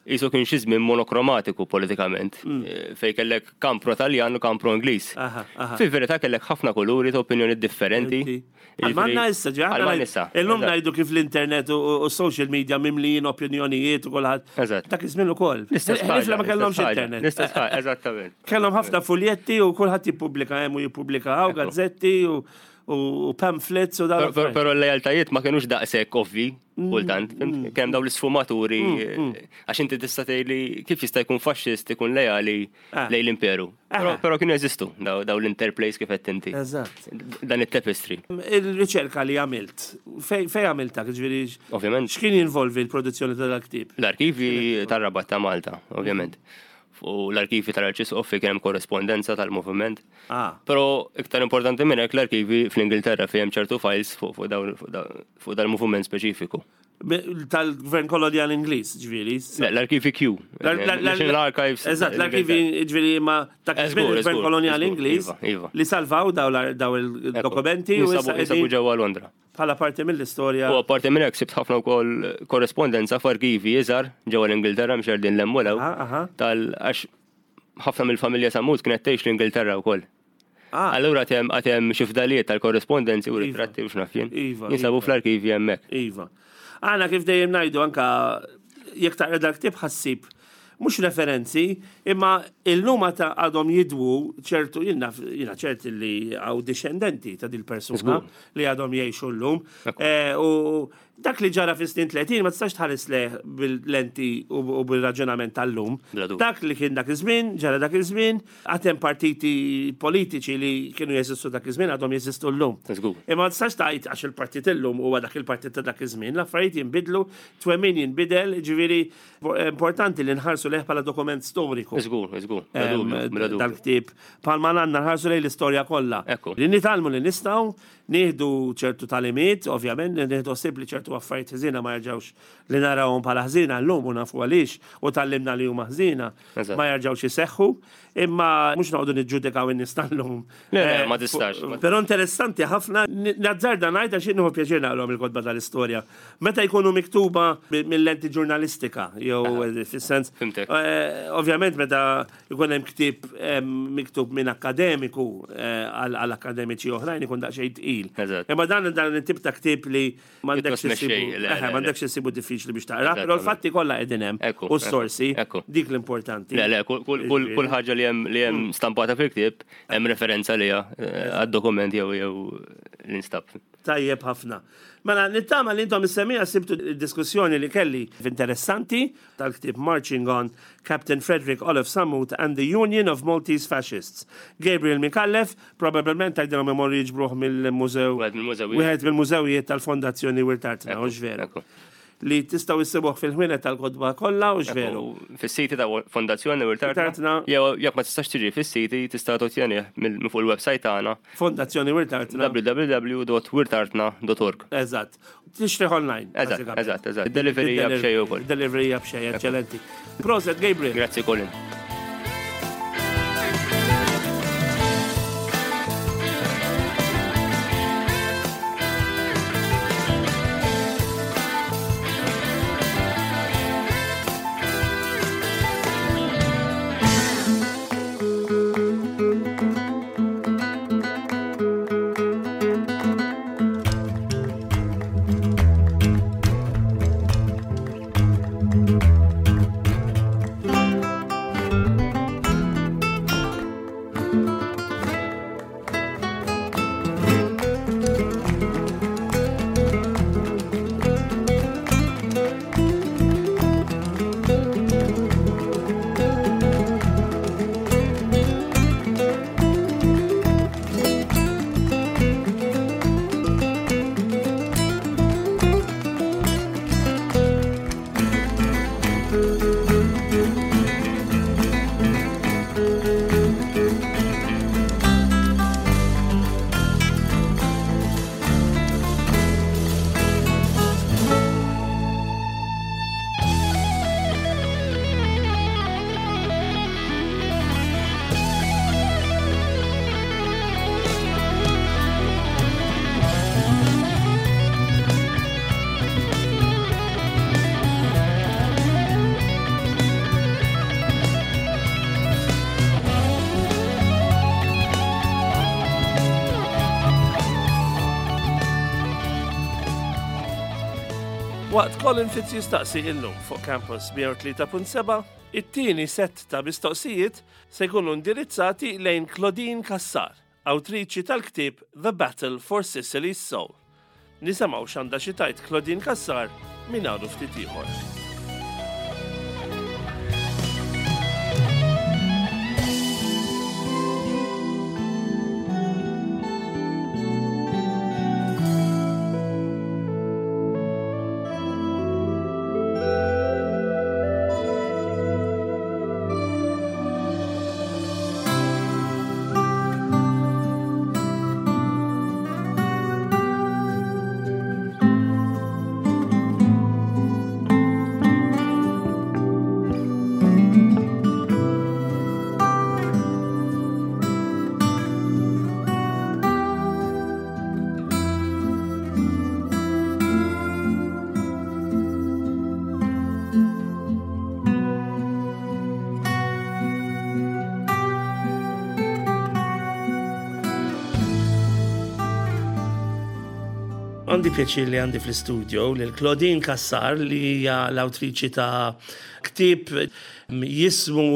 Qisu kien xi żmien monokromatiku politikament, fejn kellek kamp pro-Taljan u kamp pro-Ingliż. Fil-verità kellek ħafna kuluri ta' opinjonijiet differenti. Bħalma għandna issa, ġi aħna issa. Illum ngħidu kif l-internet u s-social media mimlijin opinjonijiet u kulħadd. Eżatt. Dak iż-żmien ukoll. L-istess Ħlief li ma kellhomx internet. L-istess ħaġa, eżattament. Kellhom ħafna fuljetti u kulħadd jippubblika hemm u jippubblika hawn gazzetti u u pamphlets u dawn. Però l-lealtajiet ma kienux daqshekk ovvi mm, kultant. Mm. Kemm dawn l-isfumaturi mm, għax inti tista' tgħidli kif jista' jkun faxxist ikun lejali ah. lejn l-imperu. Ah. Però kienu jeżistu daw l-interplays kif qed inti. Eżatt. Dan it-tapestry. Il-riċerka li għamilt, fej għamilta, ġifieri. Ovvjament. X'kien jinvolvi l-produzzjoni ta' dal-ktieb? L-arkivi tar-Rabat ta' Malta, ovvjament. U l-arkivi tal-Arċisqof fejn kien hemm korrespondenza tal-moviment. Ah. Però iktar importanti minn hekk l-arkivi fl-Ingilterra fejn hemm ċertu files fuq fuq dal-moviment speċifiku. Tal-gvern kolonial Ingliż, ġifieri. L-arkivi Q. National Archives. Eżatt, l-arkivi ġifieri ma ta' gvern kolonial Ingliż iva, iva. li salvaw daw il-dokumenti u jinsabu ġewwa Londra. Bħala parti mill-istorja. U apparti minn hekk sibt ħafna wkoll korrespondenza f'arkivi iżgħar ġewwa l-Ingilterra mhux qegħdin 'l hemm u 'l hawn tal għax ħafna mill-familja Sammut kienet tgħix l-Ingilterra wkoll. Ah. Allura għad hemm għad hemm xi fdalijiet tal-korrespondenzi u Iva. ritratti u x'naf jien. Iva, Jinsabu iva. fl-arkivi hemmhekk. Iva. Aħna kif dejjem ngħidu anka jekk taqra dal-ktieb ħassib mhux referenzi, imma illum għad għadhom jidwu ċertu jien naf jiena ċert li hawn dixxendenti ta' dil-persuna li għadhom jgħixu llum. Eh, u dak li ġara fis-snin 30 ma tistax tħares lejh bil-lenti u bil-raġunament tal-lum. Dak li kien dak iż-żmien, ġara dak iż-żmien, għad hemm partiti politiċi li kienu jeżistu dak iż-żmien għadhom jeżistu llum. Imma ma tistax tgħid għax il-partit illum huwa dak il-partit ta' dak iż-żmien, l-affarijiet jinbidlu, twemmin jinbidel, ġifieri Importanti li nħarsu lejh bħala dokument storiku. Żgur, żgur. Dal-ktieb. Bħalma għandna nħarsu lejn l-istorja kollha. Li nitgħallmu li nistgħu, nieħdu ċertu tagħlimiet, ovvjament, nieħdu ħsieb li ċertu affarijiet ħżiena ma jerġgħux li narawhom bħala ħżiena llum u nafu għaliex u tgħallimna li huma ħżiena ma jerġgħux iseħħu, imma mhux noqogħdu niġġudikaw in-nies tal-lum. Le, le, ma tistax. Però interessanti ħafna, nazzarda ngħid għax jien nieħu pjaċir naqrahom il-kotba tal-istorja. Meta jkunu miktuba mill-lenti ġurnalistika, jew fis-sens. Fimtek. Ovvjament meta jkun hemm ktieb miktub minn akkademiku għal akkademiċi oħrajn ikun daqsxejn tqil. Imma dan dan it-tip ta' ktieb li m'għandekx issibu, m'għandekx issibu diffiċli biex taqra, però l-fatti kollha qegħdin hemm u s-sorsi, dik l-importanti. Le, le, kull ħaġa li hemm li hemm stampata fil-ktieb hemm referenza liha għad-dokument jew jew l-instab. Tajjeb ħafna. Mela, nittama li intom is-semmiegħa sibtu d-diskussjoni li kelli interessanti tal-ktieb Marching On, Captain Frederick Olaf Sammut and the Union of Maltese Fascists. Gabriel Micallef, probabbilment tgħidilhom imorru jiġbruh mill-mużew. Wieħed mill-mużewijiet. Wieħed mill-mużewijiet tal-Fondazzjoni Wirt Artna, hux veru? Li tistgħu issibuh fil-ħwienet tal-kotba kollha, hux veru? Fis-siti ta' Fondazzjoni Wirt Artna. Jew jekk ma tistax tiġi fis-siti tista' tottjenih minn fuq il-website tagħna. Fondazzjoni Wirt Artna. www.wirtartna.org. Eżatt. Tixtrih online. Eżatt, eżatt, eżatt. Delivery hija b'xejn ukoll. Delivery hija b'xejn, eċċellenti. Proset, Gabriel. Grazzi, Colin. Waqt Colin Fitz jistaqsi illum fuq Campus 103.7, it-tieni sett ta' mistoqsijiet se jkunu indirizzati lejn Claudine Cassar, awtriċi tal-ktieb The Battle for Sicily's Soul. Nisimgħu x'għandha xi tgħid Claudine Cassar minn hawn u ftit ieħor. Għandi pjaċir li għandi fl-istudio lil Claudine Cassar li hija l-awtriċi ta' ktieb jismu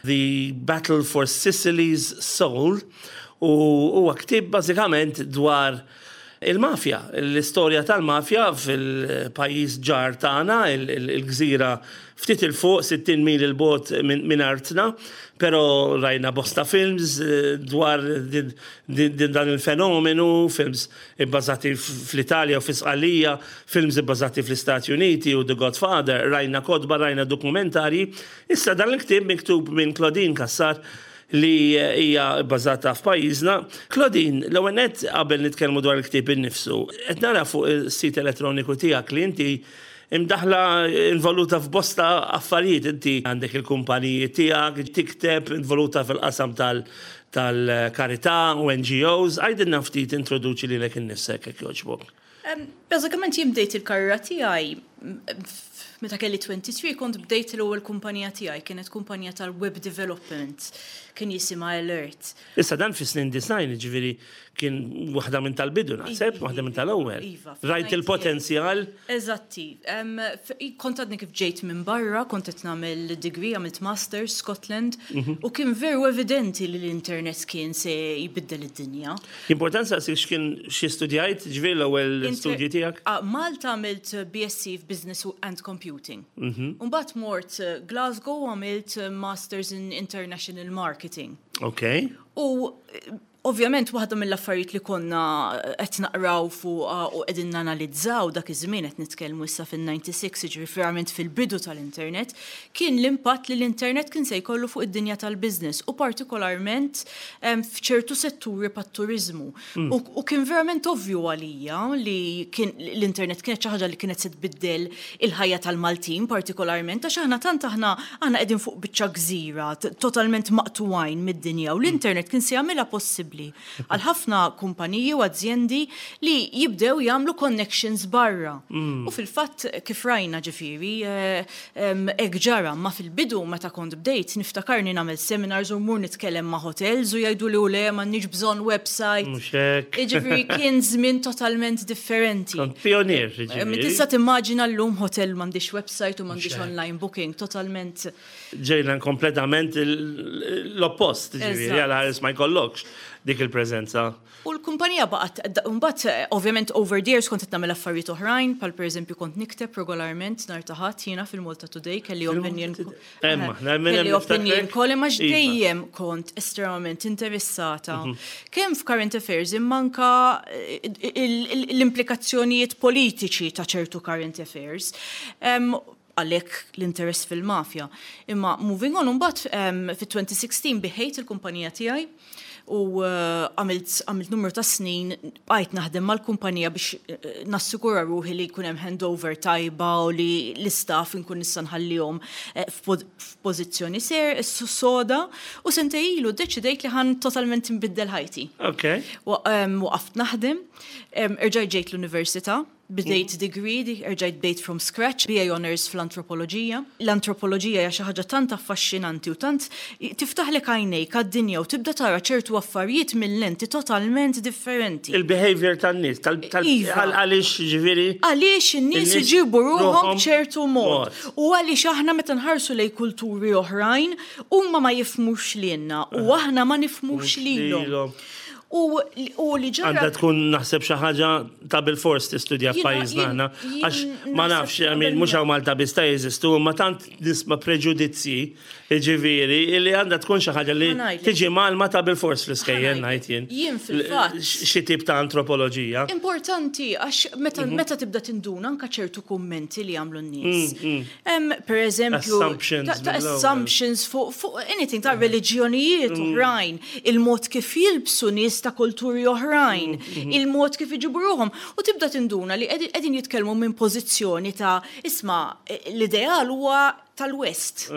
The Battle for Sicily's Soul u huwa ktieb bażikament dwar il-mafja, l-istorja tal-mafja fil-pajjiż ġar tagħna, il-gżira ftit 'il fuq, 60 mil 'il bogħod minn artna, però rajna bosta films dwar dan il-fenomenu, films ibbażati fl-Italja u fi Sqallija, films ibbażati fl-Istati Uniti u The Godfather, rajna kotba, rajna dokumentarji. Issa dan il-ktieb miktub minn Claudine Cassar li hija bbażata f'pajjiżna. Claudine, l-ewwel nett qabel nitkellmu dwar il-ktieb innifsu, qed nara fuq is-sit elettroniku tiegħek li inti imdaħħla involuta f'bosta affarijiet, inti għandek il-kumpaniji tiegħek, tikteb, involuta fil-qasam tal-karità u NGOs. Għidilna ftit introduċi lilek innifsek jekk jogħġbok. Bażikament jien bdejt il-karriera tiegħi meta kelli 23 kont bdejt l-ewwel kumpanija tiegħi, kienet kumpanija tal-web development, kien jisimha Alert. Issa dan fis-snin design, ġifieri kien waħda minn tal-bidu naħseb, waħda minn tal-ewwel. Iva. Rajt il-potenzjal. Eżatti. Kont għadni kif ġejt minn barra, kont qed nagħmel degree, għamilt masters Scotland, u kien veru evidenti li l-internet kien se jbiddel id-dinja. Importanti saqsik x'kien xi studjajt, ġifieri l-ewwel studji tiegħek? Malta għamilt BSc f'Business and Computing. U mbagħad mort Glasgow u għamilt Masters in International Marketing. Ok. U ovvjament waħda mill-affarijiet li konna qed naqraw fuqha u qegħdin nanalizzaw dak iż-żmien qed nitkellmu issa fin-96, jiġifieri verament fil-bidu tal-internet, kien l-impatt li l-internet kien se jkollu fuq id-dinja tal-business u partikolarment f'ċertu setturi bħat-turiżmu. U kien verament ovvju għalija li kien l-internet kienet xi ħaġa li kienet se tbiddel il-ħajja tal-Maltin partikolarment għax aħna tant aħna aħna qegħdin fuq biċċa gżira totalment maqtugħin mid-dinja u l-internet kien se jagħmilha possibbli għal ħafna kumpaniji u azjendi li jibdew jagħmlu connections barra. U fil-fatt kif rajna ġifieri hekk ġara, imma fil-bidu meta kont bdejt niftakarni nagħmel seminars u mmur nitkellem ma' hotels u jgħiduli u le m'għandniex bżonn website. Mhux hekk. Jiġifieri kien żmien totalment differenti. Kont pionier, jiġifieri. Tista' timmaġina llum hotel m'għandix website u m'għandix online booking, totalment. Ġejna kompletament l-oppost, jiġifieri għal ħares ma jkollokx dik il-preżenza. U l-kumpanija baqgħet, mbagħad ovvjament over the years kont qed nagħmel affarijiet oħrajn, bħal pereżempju kont nikteb regolarment nhar ta' Ħadd jiena fil-Malta Today kelli opinion kelli opinion column għax iva. dejjem kont estremament interessata mhm. kemm f'current affairs imma anka eh, l-implikazzjonijiet politiċi ta' ċertu current affairs. Għalhekk l-interess fil-mafja. Imma moving on, mbagħad fit-2016 biħejt il-kumpanija tiegħi u eh, għamilt għamilt numru ta' snin bqajt naħdem mal-kumpanija biex eh, nassigura ruħi li jkun hemm handover tajba u li l-istaff inkun nista' nħallihom eh, f'pożizzjoni ser soda u sentejn ilu ddeċidejt li ħan totalment nbiddel ħajti. Ok. Waqaft naħdem, erġajt ġejt l-università. Bdejt degree, erġajt bdejt from scratch, BA Honours fl-antropoloġija. L-antropoloġija hija xi ħaġa tant affaxxinanti u tant tiftaħlek għajnejk għad-dinja u tibda tara ċertu affarijiet minn lenti totalment differenti. Il-behavior tan-nies, għaliex ġifieri? Għaliex in-nies iġibu ruħhom b'ċertu mod. U għaliex aħna meta nħarsu lejn kulturi oħrajn, huma ma jifhmux lilna u aħna ma nifhmux lilhom. U li ġara. Għandha tkun naħseb xi ħaġa ta' bilfors tistudja f'pajjiżna aħna. Għax ma nafx, mhux hawn Malta biss ta' jeżistu, imma tant nisma' preġudizzji, jiġifieri, li għandha tkun xi ħaġa li tiġi mgħallma ta' bilfors fl-iskejjel ngħid jien. Jien fil-fatt. Xi tip ta' antropoloġija. Importanti għax meta tibda tinduna anke ċertu kummenti li jagħmlu n-nies. Per eżempju, ta' assumptions fuq anything ta' reliġjonijiet oħrajn, il-mod kif jilbsu nies ta' kulturi oħrajn, il-mod kif iġibu ruħhom. U tibda tinduna li qegħdin jitkellmu minn pożizzjoni ta' isma' l-ideal huwa tal-West.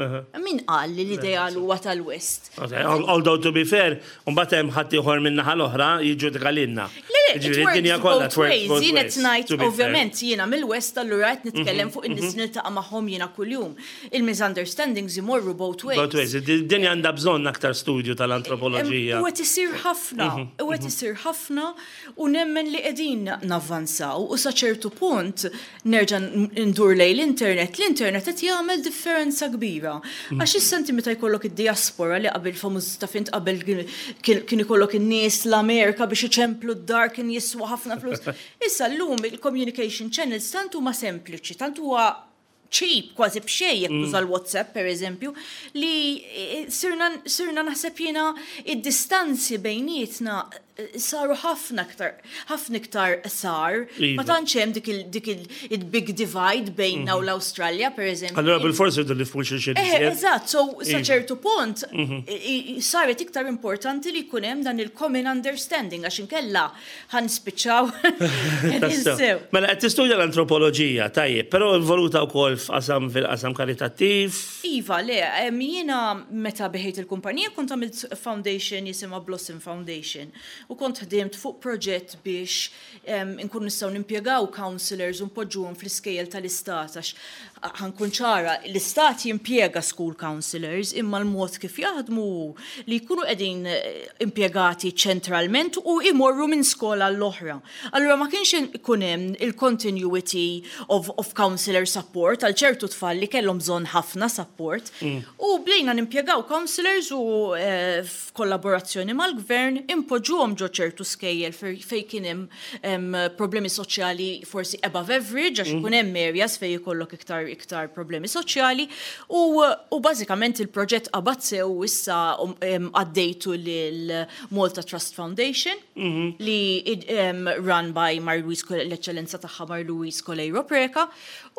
Min qal li l-ideal huwa tal-West? Although to be fair, mbagħad hemm ħaddieħor min-naħa l-oħra jiġġudika lilna. Le, le, it works both ways. Jien qed ngħid, ovvjament, jiena mill-West allura qed nitkellem fuq in-nies li niltaqa' magħhom jiena kuljum. Il-misunderstandings imorru both ways. Both ways. Id-dinja għandha bżonn aktar studju tal-antropoloġija. U qed isir ħafna, u qed isir ħafna u nemmen li qegħdin navvanzaw u sa ċertu punt Nerġa' ndur lejn l-internet, l-internet qed jagħmel differenza kbira. Għax issa inti meta jkollok id-diaspora li qabel famuż taf int qabel kien ikollok in-nies l-Amerika biex iċemplu d-dar kien jiswa ħafna flus. Issa llum il-communication channels tant huma sempliċi, tant huwa cheap kważi b'xejn jekk tuża l-WhatsApp pereżempju, li sirna sirna naħseb jiena id-distanzi bejnietna saru ħafna iktar ħafna iktar qsar. Ma tantx hemm dik il dik il-big divide bejnna u l-Awstralja pereżempju. Allura bilfors irridu nifhmu xulxin iżjed. Eżatt, so sa ċertu punt saret iktar importanti li jkun hemm dan il-common understanding għax inkella ħa nispiċċaw qegħdin. Mela qed tistudja l-antropoloġija, tajjeb, però involuta wkoll f'qasam fil-qasam karitattiv. Iva, le, jiena meta biħejt il-kumpanija kont għamilt foundation jisimha Blossom Foundation u kont ħdimt fuq proġett biex inkunu nistgħu nimpjegaw counsellors u npoġġuhom fl-iskejjel tal-istat għax ħa nkun ċara, l-istat jimpjega school counsellors imma l-mod kif jaħdmu hu li jkunu qegħdin impjegati ċentralment u jmorru minn skola għall-oħra. Allura ma kienx ikun hemm il-continuity of, of counselor support għal ċertu tfal li kellhom bżonn ħafna support. U bdejna nimpjegaw counselors u eh, f'kollaborazzjoni mal-gvern impoġġuhom ġo ċertu skejjel fejn kien hemm problemi soċjali forsi above average għax ikun hemm areas fejn ikollok iktar iktar problemi soċjali u, u bażikament il-proġett qabad sew u issa għaddejtu lil Malta Trust Foundation. Li run by Marie-Louise l-Eċċellenza tagħha Marie-Louise Coleiro Preca,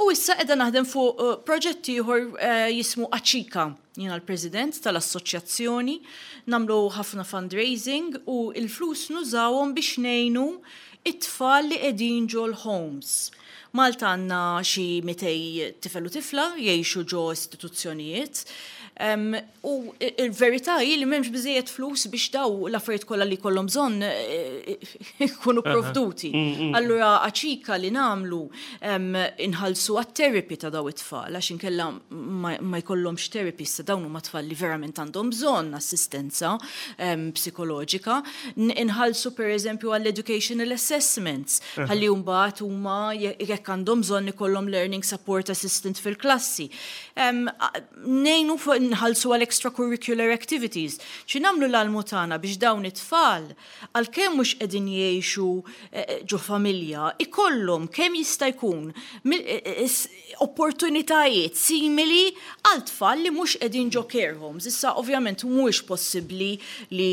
u issa qiegħda naħdem fuq proġett ieħor jismu Aċika. Jiena l-President tal-assoċjazzjoni, nagħmlu ħafna fundraising u l-flus nużawhom biex ngħinu it-tfal li qegħdin ġol-homes. Malta għandna xi 200 tifel u tifla jgħixu ġo istituzzjonijiet. U il-verità hi li m'hemmx biżejjed flus biex daw l-affarijiet kollha li jkollhom bżonn eh, ikunu provduti. Allura aċika li nagħmlu inħallsu għat-therapy ta' daw it-tfal għax inkella ma jkollhomx therapy issa dawn huma tfal li verament għandhom bżonn assistenza psikoloġika. Inħallsu pereżempju għall-educational assessments ħalli mbagħad huma jekk għandhom bżonn ikollhom learning support assistant fil-klassi. Ngħinu nħallsu għal extracurricular activities. Xi nagħmlu l-almu tagħna biex dawn it-tfal, għalkemm mhux qegħdin jgħixu ġo familja, ikollhom kemm jista' jkun opportunitajiet simili għal tfal li mhux qegħdin ġo care homes. Issa ovvjament mhuwiex possibbli li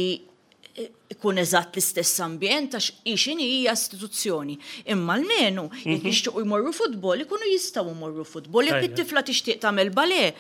ikun eżatt l-istess ambjent għax hi x'inhi hija istituzzjoni. Imma almenu jekk jixtiequ jmorru futbol ikunu jistgħu jmorru futbol. Jekk it-tifla tixtieq tagħmel ballet,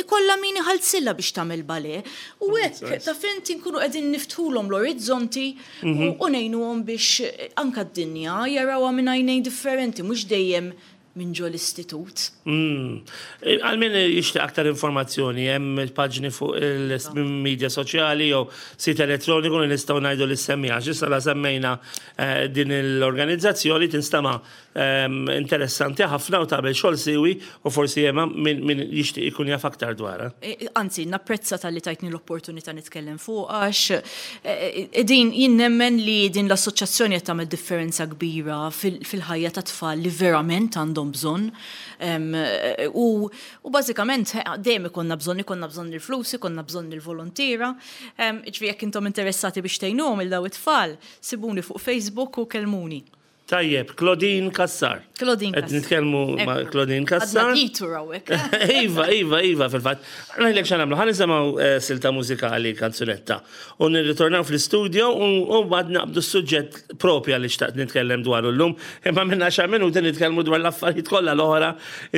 ikollha min iħallsilha biex tagħmel ballet. U hekk taf int inkunu qegħdin niftħulhom l-orizzonti u ngħinuhom biex anke d-dinja jarawha minn għajnejn differenti mhux dejjem minn ġo l-istitut. Għal min jixtieq aktar informazzjoni, hemm paġni fuq il-media soċjali jew sit elettroniku li nistgħu ngħidu li semmija. Għax issa la semmejna eh, din l-organizzazzjoni tinstama' ehm, interessanti ħafna u tagħmel xogħol siwi u forsi hemm min, min jixtieq ikun jaf aktar dwarha. E, anzi, napprezza talli tajtni l-opportunità nitkellem fuq għax e, e, din jien nemmen li din l-assoċjazzjoni qed tagħmel differenza kbira fil-ħajja ta' tfal li verament għandhom bżonn. U, u bażikament dejjem ikollna bżonn, ikollna bżonn il-flus, ikollna bżonn il-volontiera. Ġifieri jekk intom interessati biex tgħinuhom il daw it-tfal, sibuni fuq Facebook u kellmuni. Tajjeb, Claudine Cassar. Claudine Cassar. Qed nitkellmu ma' Claudine Cassar. Għadna ditur hawnhekk. Iva, iva, iva, fil-fatt. Ngħidlek x'għamlu, ħa nisimgħu eh, silta mużikali kanzunetta. U nirritornaw fl-istudio u mbagħad naqbdu s-suġġett propja li xtaqt nitkellem dwaru llum. Imma minn għaxar minuti nitkellmu dwar l-affarijiet kollha l-oħra.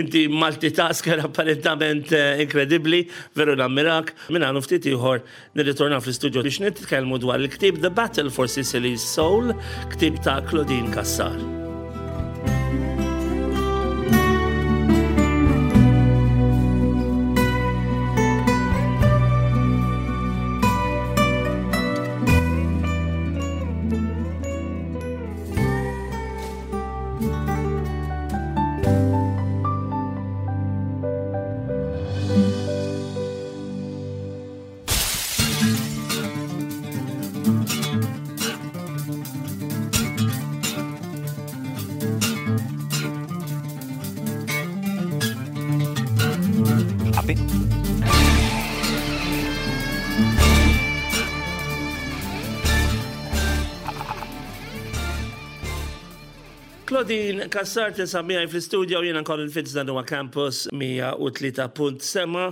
Inti multitasker apparentament eh, inkredibbli, veru nammirak. Minn hawn ftit ieħor Nirritornaw fl-istudio biex nitkellmu dwar il-ktieb The Battle for Sicily's Soul, ktieb ta' Claudine Cassar. Claudine Cassar tinsab miegħi fl-istudio jiena Colin Fitz dan huwa Campus 103.7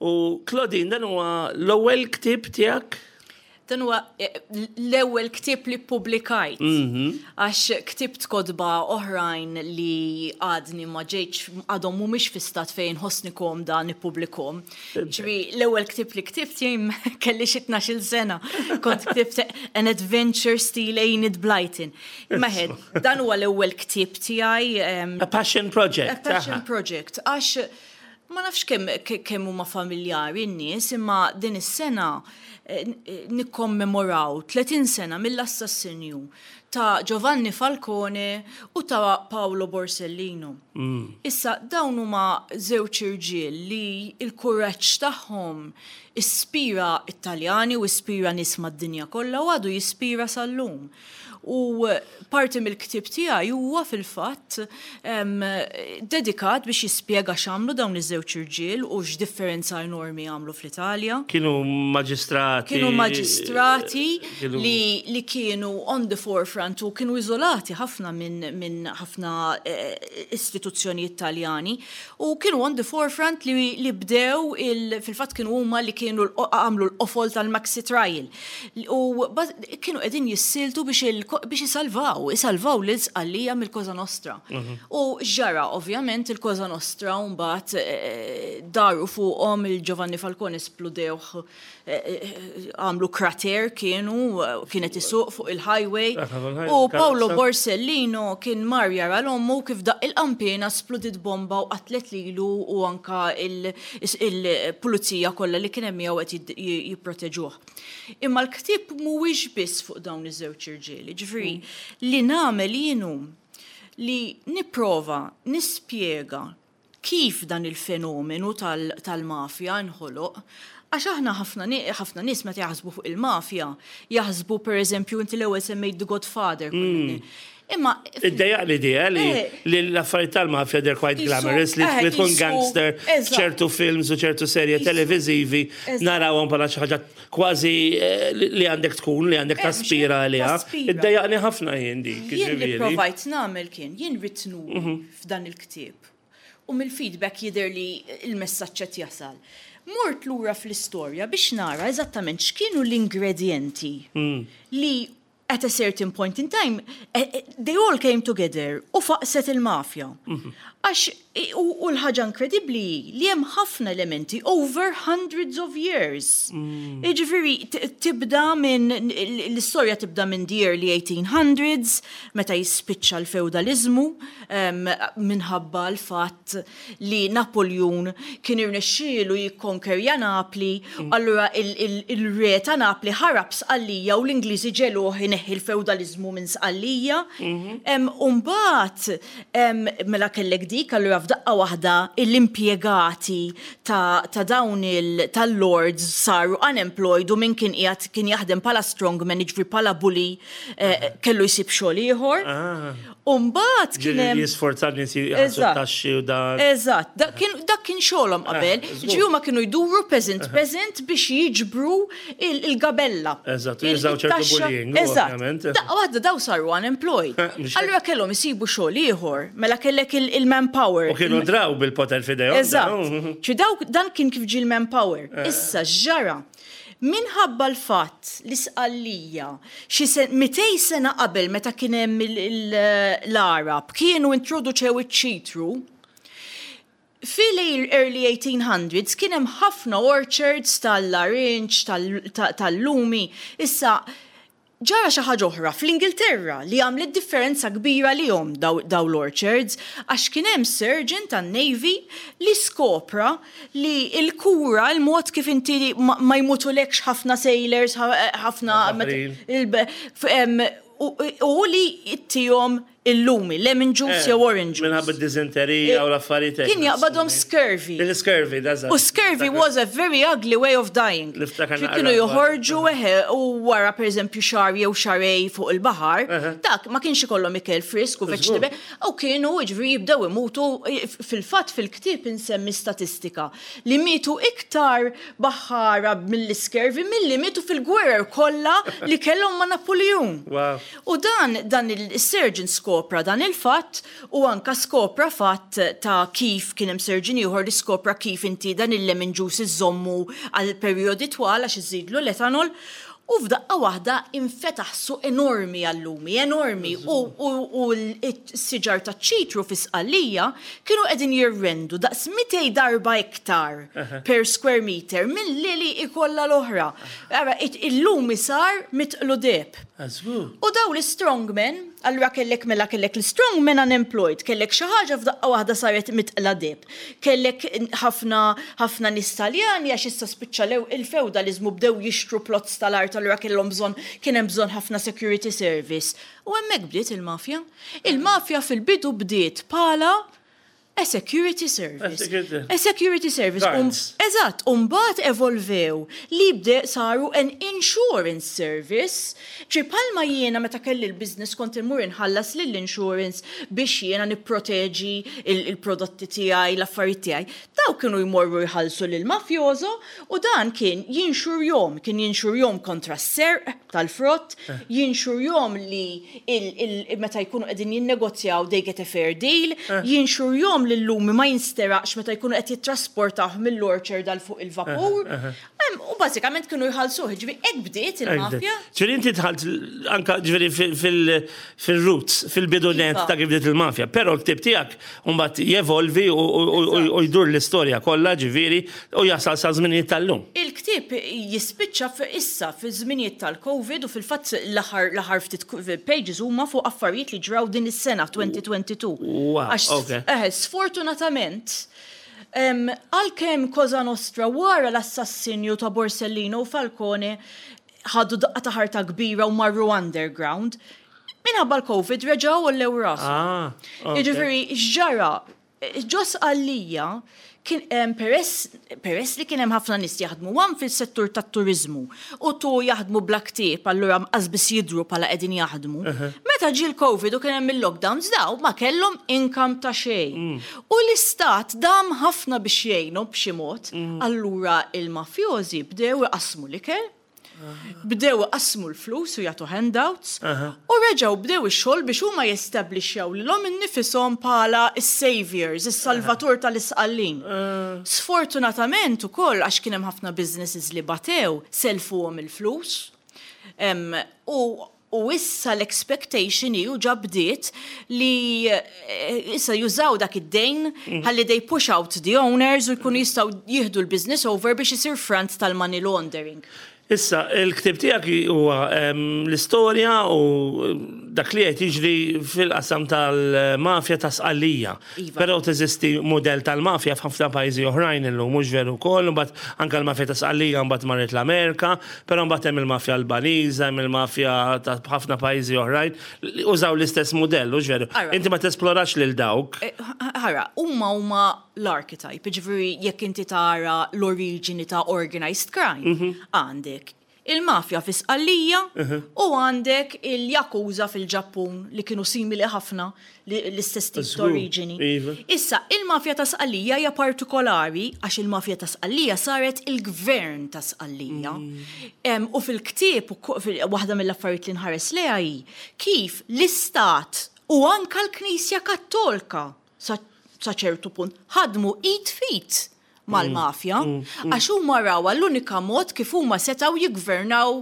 U Claudine, dan huwa l-ewwel ktieb tiegħek? Dan huwa eh, l-ewwel ktieb li ppubblikajt. Mhm. Għax ktibt kotba oħrajn li għadni ma ġejtx għadhom mhumiex fi stat fejn ħossni komda nippubblikhom. Ġifieri l-ewwel ktieb li ktibt jien kelli xi 12-il sena. Kont ktibt An Adventure Steel Enid Blyton. Imma dan huwa l-ewwel ktieb tiegħi. A passion project. A passion project. Għax Ma nafx kemm kemm huma familjari n-nies imma din is-sena nikkommemoraw 30 sena mill-assassinju ta' Giovanni Falcone u ta' Paolo Borsellino. Issa dawn huma żewġ irġiel li l-kuraġġ tagħhom ispira t-Taljani u ispira nies mad-dinja kollha u għadu jispira sal-lum. U parti mill-ktieb tiegħi huwa fil-fatt dedikat biex jispjega x'għamlu dawn iż-żewġ irġiel u x'differenza enormi għamlu fl-Italja. Kienu maġistrati. Kienu maġistrati li, li kienu on the forefront u kienu iżolati ħafna minn min ħafna eh, istituzzjonijiet Taljani u kienu on the forefront li, li bdew fil-fatt kienu huma li kienu għamlu l-qofol tal-Maxi Trial. U kienu qegħdin jissieltu biex isalvaw, isalvaw lil Sqallija mill-Cosa Nostra. Mhm. U ġara, ovvjament, il-Cosa Nostra mbagħad eh, daru fuqhom il-Giovanni Falcone spludewh eh, eh, għamlu krater kienu, kienet isuq fuq il-highway. U Paolo Borsellino kien mar jara l-ommu kif daq il-qampina spludit bomba u qatlet lilu u anka il-pulizija kollha li kien hemm miegħu qed jipproteġuh. Imma l-ktieb mhuwiex biss fuq dawn iż-żewġ irġiel, ġifieri li nagħmel jien hu li nipprova nispjega kif dan il-fenomenu tal-mafja nħoloq, għax aħna ħafna ħafna nies meta jaħsbu fuq il-mafja, jaħsbu pereżempju inti l-ewwel semmejt The Godfather. Imma. Iddejjaq l-idea li eh. li l-affarijiet tal-mafja they're quite glamorous, li eh, tkun gangster, ċertu films u ċertu serje televizivi narawhom bħala xi ħaġa kważi eh, li għandek tkun, li għandek taspira għaliha. Iddejjaqni ħafna jien dik. Jien li provajt nagħmel kien, jien rrid nuri mhm. f'dan il-ktieb. U mill-feedback jidher li l-messaġġ qed jasal. Mort lura fl-istorja biex nara eżattament x'kienu l-ingredjenti mm. li at a certain point in time, they all came together u faqset il-mafja. Għax, u l-ħaġa inkredibbli hi li hemm ħafna elementi over hundreds of years. Jiġifieri tibda minn, l-istorja tibda minn the early 1800s, meta jispiċċa l-fewdaliżmu, minħabba l-fatt li Napoljun kien irnexxielu jikkonkerja Napli, allura il-re ta' Napli ħarab Sqallija u l-Ingliżi ġegħluh ineħħi l-fewdaliżmu minn Sqallija. U mbagħad mela kellek dik, allura f'daqqa waħda l-impjegati ta' dawn tal-lords saru unemployed u min kien qiegħed kien jaħdem bħala strongman, jiġifieri bħala bully, kellu jsib xogħol ieħor. U mbagħad kien hemm. Ġieli jisforza n-nies jħallsu t-taxxi u dan. Eżatt, dak kien xogħolhom qabel. Ġifieri huma kienu jduru peasant peasant biex jiġbru il-gabella. Eżatt, u jużaw ċertu bullying, ovvjament. Daqqa waħda daw saru unemployed. Allura kellhom isibu xogħol ieħor, mela kellek il-manpower. U kienu draw bil-poter f'idejhom. Eżatt. Ġifieri dawk dan kien kif ġie l-manpower. Issa x'ġara? Minħabba l-fatt li Sqallija, xi 200 sena qabel meta kien hemm l-Għarab, kienu introduċew iċ-ċitru, fil-early 1800s kien hemm ħafna orchards tal-larinġ, tal-lumi. Issa, Ġara xi ħaġa oħra fl-Ingilterra li għamlet differenza kbira għalihom dawn l-orchards għax kien hemm surgeon tan-Navy li skopra li l-kura, il-mod kif inti ma jmutulekx ħafna sailors, ħafna hu li ttihom Il-lumi, lemon juice jew orange juice. Minħabba d-diżenterija u l-affarijiet hekk. Kien jaqbadhom scurvy. Il-scurvy, da U scurvy was a very ugly way of dying. Niftakar naqra. Kienu joħorġu eħe u wara pereżempju xahar jew xahrejn fuq il-baħar, dak ma kienx ikollhom ikel frisk u vegetable, u kienu jiġifieri jibdew imutu, fil-fatt fil-ktieb insemmi statistika li mietu iktar baħħara mill-iscurvy milli mietu fil-gwerer kollha li kellhom ma' Napuljun. U dan, dan il-surgeon skopra dan il-fatt u anka skopra fatt ta' kif kien hemm surgeon ieħor li skopra kif inti dan il-lemon juice iżżommu għal perjodi twal għax iżżidlu l-ethanol u f'daqqa waħda infetaħ suq enormi għal-lumi, enormi u u s-siġar taċ-ċitru fi Sqallija kienu qegħdin jirrendu daqs 200 darba iktar per square meter milli li kollha l-oħra. Ara, il-lumi sar mitqlu deheb. U daw l-strongmen, allura kellek mela kellek l-strongmen unemployed, kellek xi ħaġa f'daqqa waħda saret mitqla deheb. Kellek ħafna ħafna nies Taljani għax issa spiċċa il-fewdaliżmu bdew jixtru plots tal-art allura kellhom bżonn kien hemm bżonn ħafna security service. U hemmhekk bdiet il-mafja. Il-mafja fil-bidu bdiet bħala A security service. A security service. Eżatt, u mbagħad evolvew li bde saru an insurance service. Ġi bħalma jiena meta kelli l-business kont immur inħallas lill-insurance biex jiena nipproteġi il-prodotti tiegħi, l-affarijiet tiegħi. Dawk kienu jmorru jħallsu lill-mafjoso u dan kien jinxurjhom, kien jinxurjhom kontra s-serq tal-frott, jinxurjhom li meta jkunu qegħdin jinnegozjaw they get a fair deal, jinxurjhom li l-lumi ma jinsteraqx meta jkunu qed jittrasportawh mill-orchard għal fuq il-vapur. U bażikament kienu jħallsuh, jiġifieri hekk bdiet il-mafja. Ġifieri inti dħalt anke ġifieri fil-roots, fil-bidu nett ta' kif bdiet il-mafja, però l-ktieb tiegħek mbagħad jevolvi u jdur l-istorja kollha ġifieri u jasal sa żminijiet tal-lum. Il-ktieb jispiċċa issa fiż-żminijiet tal-Covid u fil-fatt l-aħħar l-aħħar ftit pages huma fuq affarijiet li ġraw din is-sena 2022. Wow, Għax ok. eħe, sfortunatament, għalkemm Cosa Nostra wara l-assassinju ta' Borsellino u Falcone ħadu daqqa ta' ħarta kbira u marru underground, minħabba l-Covid reġgħu għollew rashom. Ah, ok. Jiġifieri x'ġara? Ġo Sqallija kien hemm peress peress li kien hemm ħafna nies jaħdmu one fis-settur tat-turiżmu u two jaħdmu bla ktieb allura qas biss jidhru bħala qegħdin jaħdmu. Meta ġie l-Covid u kien hemm il-lockdowns daw ma kellhom income ta' xejn. U l-istat dam ħafna biex jgħinhom b'xi mod, allura il-mafjożi bdew iqassmu l-ikel Bdew iqassmu l-flus u jagħtu handouts u reġgħu bdew ix-xogħol biex huma jestablixxjaw lilhom innifishom bħala s-saviours, is-salvatur tal-Isqallin. Sfortunatament ukoll għax kien hemm ħafna businesses li batew, sellfuhom il-flus u. U issa l-expectation hi u ġa bdiet li issa jużaw dak id-dejn ħalli they push out the owners u jkunu jistgħu jieħdu l-business over biex isir front tal-money laundering. Issa, il-ktieb tiegħek huwa l-istorja u dak li qed jiġri fil-qasam tal-mafja ta' Sqallija. Iva. Però teżisti mudell tal-mafja f'ħafna pajjiżi oħrajn illum, mhux veru wkoll, imbagħad anke l-mafja ta' Sqallija mbagħad marret l-Amerika, però mbagħad hemm il-mafja Albaniża, hemm il-mafja ta' ħafna pajjiżi oħrajn li użaw l-istess mudell, hux veru? Inti ma tesplorax lil dawk. Ara, huma huma l-archetype, jiġifieri jekk inti tara l-oriġini ta' organized crime, għandek il-mafja fi Sqallija u għandek il-Yakuza fil-Ġappun li kienu simili ħafna l-istess tip ta' oriġini. Issa, il-mafja ta' Sqallija hija partikolari għax il-mafja ta' Sqallija saret il-gvern ta' Sqallija. U fil-ktieb, waħda mill-affarijiet li nħares lejha hi kif l-istat u anka l-Knisja Kattolka sa ċertu punt, ħadmu id f'id mal-mafja, għax huma rawha l-unika mod kif huma setgħu jiggvernaw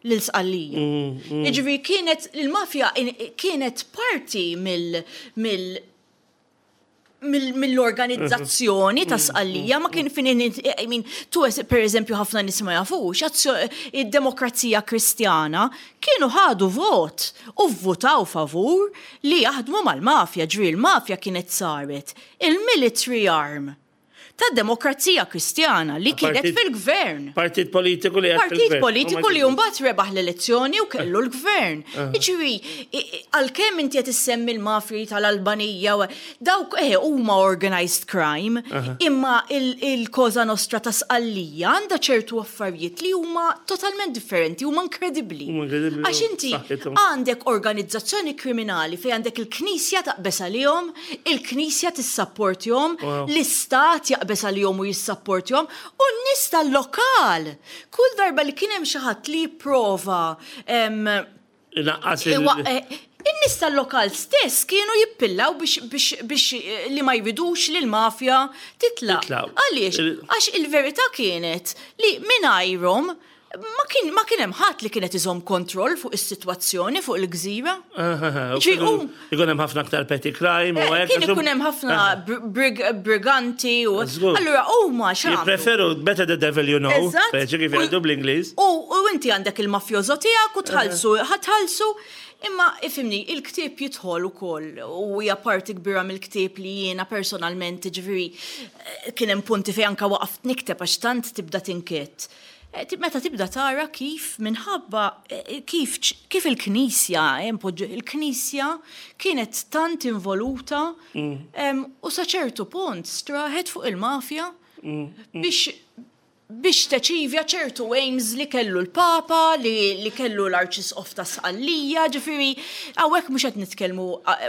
lil Sqallija. Jiġifieri kienet il-mafja kienet parti mill mill mill-organizzazzjoni ta' Sqallija ma kien fin I mean, tu per eżempju ħafna nies ma jafux, id-demokrazija kristjana kienu ħadu vot u vvutaw favur li jaħdmu mal-mafja, ġifieri l-mafja kienet saret il-military arm tad-Demokrazija Kristjana li kienet fil-gvern. Partit politiku li Partit politiku li mbagħad rebaħ l-elezzjoni u kellu l-gvern. Jiġifieri, għalkemm inti qed issemmi l-mafji tal-Albanija, dawk eh huma organized crime, imma il-Cosa Nostra ta' Sqallija għandha ċertu affarijiet li huma totalment differenti, huma inkredibbli. Għax inti għandek organizzazzjoni kriminali fejn għandek il-Knisja taqbeż għalihom, il-Knisja tissapportihom, l-Istat jaqbeż għalihom u jissapportihom, u n-nies tal-lokal. Kull darba li kien hemm xi ħadd li jipprova Inaqqas il- In-nies tal-lokal stess kienu jippillaw biex li ma jridux li l-mafja titlaq. Għaliex? Għax il-verità kienet li mingħajrhom ma kien ma kien hemm ħadd li kien qed iżomm kontroll fuq is-sitwazzjoni fuq il-gżira. Ikun hemm ħafna aktar petty crime u hekk. Kien ikun hemm ħafna briganti u. Allura huma x'għamlu? Jippreferu better the devil you know. Speċi kif jgħidu bl-Ingliż. U inti għandek il-mafjoso tiegħek u tħallsu, ħa tħallsu. Imma ifhimni, il-ktieb jidħol ukoll u hija parti kbira mill-ktieb li jiena personalment, jiġifieri kien hemm punti fejn anke waqaft nikteb għax tant tibda tinkedd. Meta tibda tara kif minħabba kif kif il-Knisja, il-Knisja kienet tant involuta u sa ċertu punt straħet fuq il-mafja biex biex teċivja ċertu aims li kellu l-Papa, li, li kellu l-Arċisqof ta' Sqallija, ġifieri hawnhekk mhux qed nitkellmu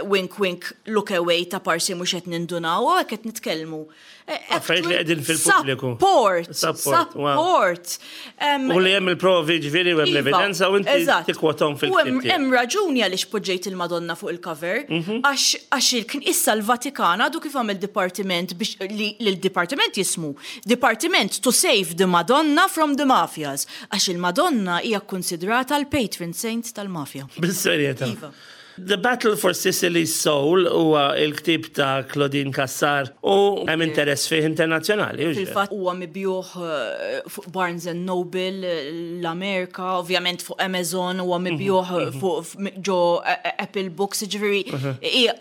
wink wink look away ta' parsi mhux qed nindunaw, hawnhekk qed nitkellmu Affarijiet li qegħdin fil-pubbliku. Support. Support. U li hemm il-provi ġifieri u hemm iva, l-evidenza u inti tikkwothom fil-ktieb. Hemm raġuni għaliex poġġejt il-Madonna fuq il-cover, għax issa l-Vatikan għadu kif għamel dipartiment biex li l-dipartiment jismu Departiment to save the Madonna from the Mafias, għax il-Madonna hija kkunsidrata l-patron saint tal-mafja. Bis-serjetà. Iva. The Battle for Sicily's Soul huwa l-ktieb ta' Claudine Cassar u hemm interess fih internazzjonali. Fil-fatt huwa mibjugħ fuq Barnes and Noble l-Amerika, ovvjament fuq Amazon, huwa mibjugħ fuq ġo Apple Books, jiġifieri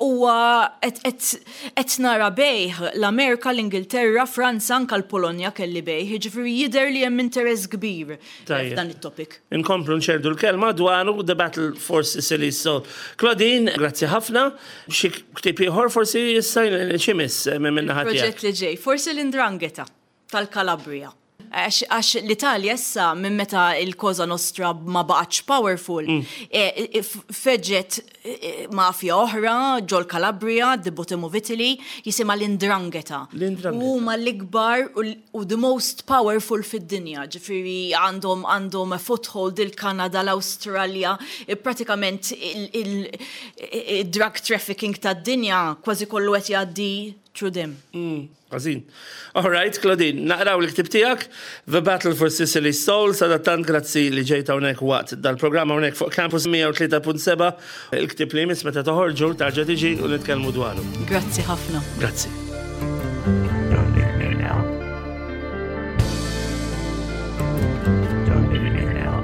huwa qed nara bejgħ l-Amerika, l-Ingilterra, Franza, anke l-Polonja kelli bejgħ, jiġifieri jidher li hemm interess kbir f'dan it-topic. Inkomplu nxerrdu l-kelma dwaru The Battle for Sicily Soul. Claudine, grazzi ħafna. Xi ktieb ieħor forsi issa x'imiss minn naħa tiegħek? Proġett li ġej, forsi l-Ndrangheta tal-Calabria. Għax l-Italja issa minn meta il-Cosa Nostra ma baqgħetx powerful, feġġet mafja oħra ġol-Calabria, the bottom of Italy, jisimha l-Ndrangheta. U huma l-ikbar u the most powerful fid-dinja, ġifieri għandhom għandhom a foothold il-Kanada, l-Awstralja, pratikament il-drug trafficking tad-dinja kważi kollu qed jgħaddi. through them. Ħażin. All right, Claudine, naqraw il-ktib tiegħek, The Battle for Sicily's Soul, sadattant grazzi li ġejt hawnhekk waqt dal-programm hawnhekk fuq Campus 103.7. Il-ktib li jmiss meta toħorġu tarġa' tiġi u nitkellmu dwaru. Grazzi ħafna. Grazzi. Don't leave me now. Don't leave me now.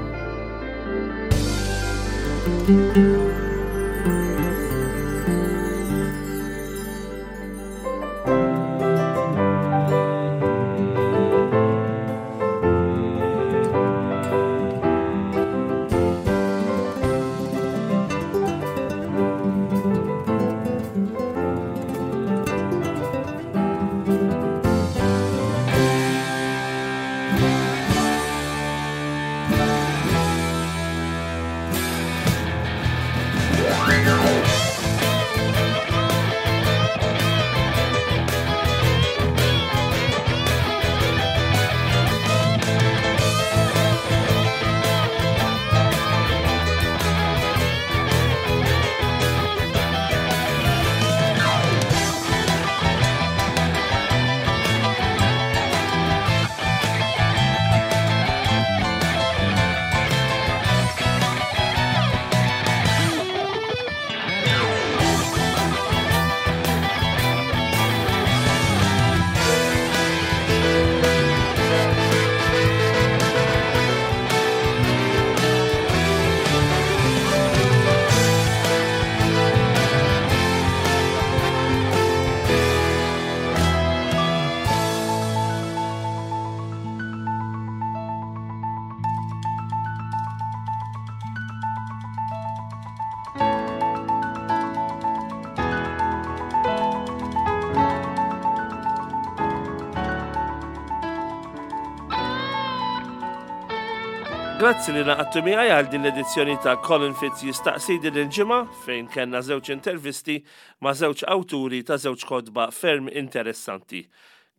Grazzi li naqattu miegħi għal din l-edizzjoni ta' Colin Fitz jistaqsi din il-ġimgħa fejn kellna żewġ intervisti ma' żewġ awturi ta' żewġ kotba ferm interessanti.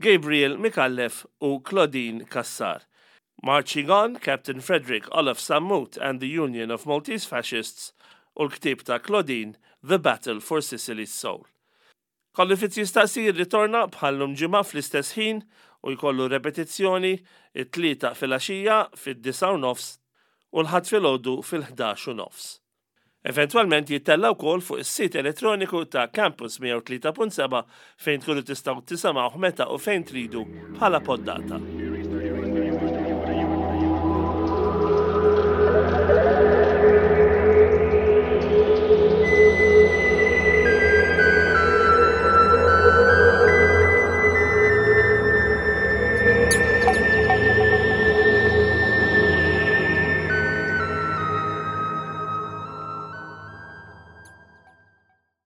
Gabriel Micallef u Claudine Cassar. Marching On, Captain Frederick Olaf Sammut and the Union of Maltese Fascists u l-ktieb ta' Claudine The Battle for Sicily's Soul. Colin Fitz jistaqsi jirritorna bħal-lum ġimgħa fl-istess ħin u jkollu repetizzjoni it-Tlieta filgħaxija fid-9:30 u l-Ħadd filgħodu fil-11:30. Eventwalment jittella' wkoll fuq is-sit elettroniku ta' Campus 103.7 fejn tkunu tistgħu tisimgħuh meta u fejn tridu bħala poddata.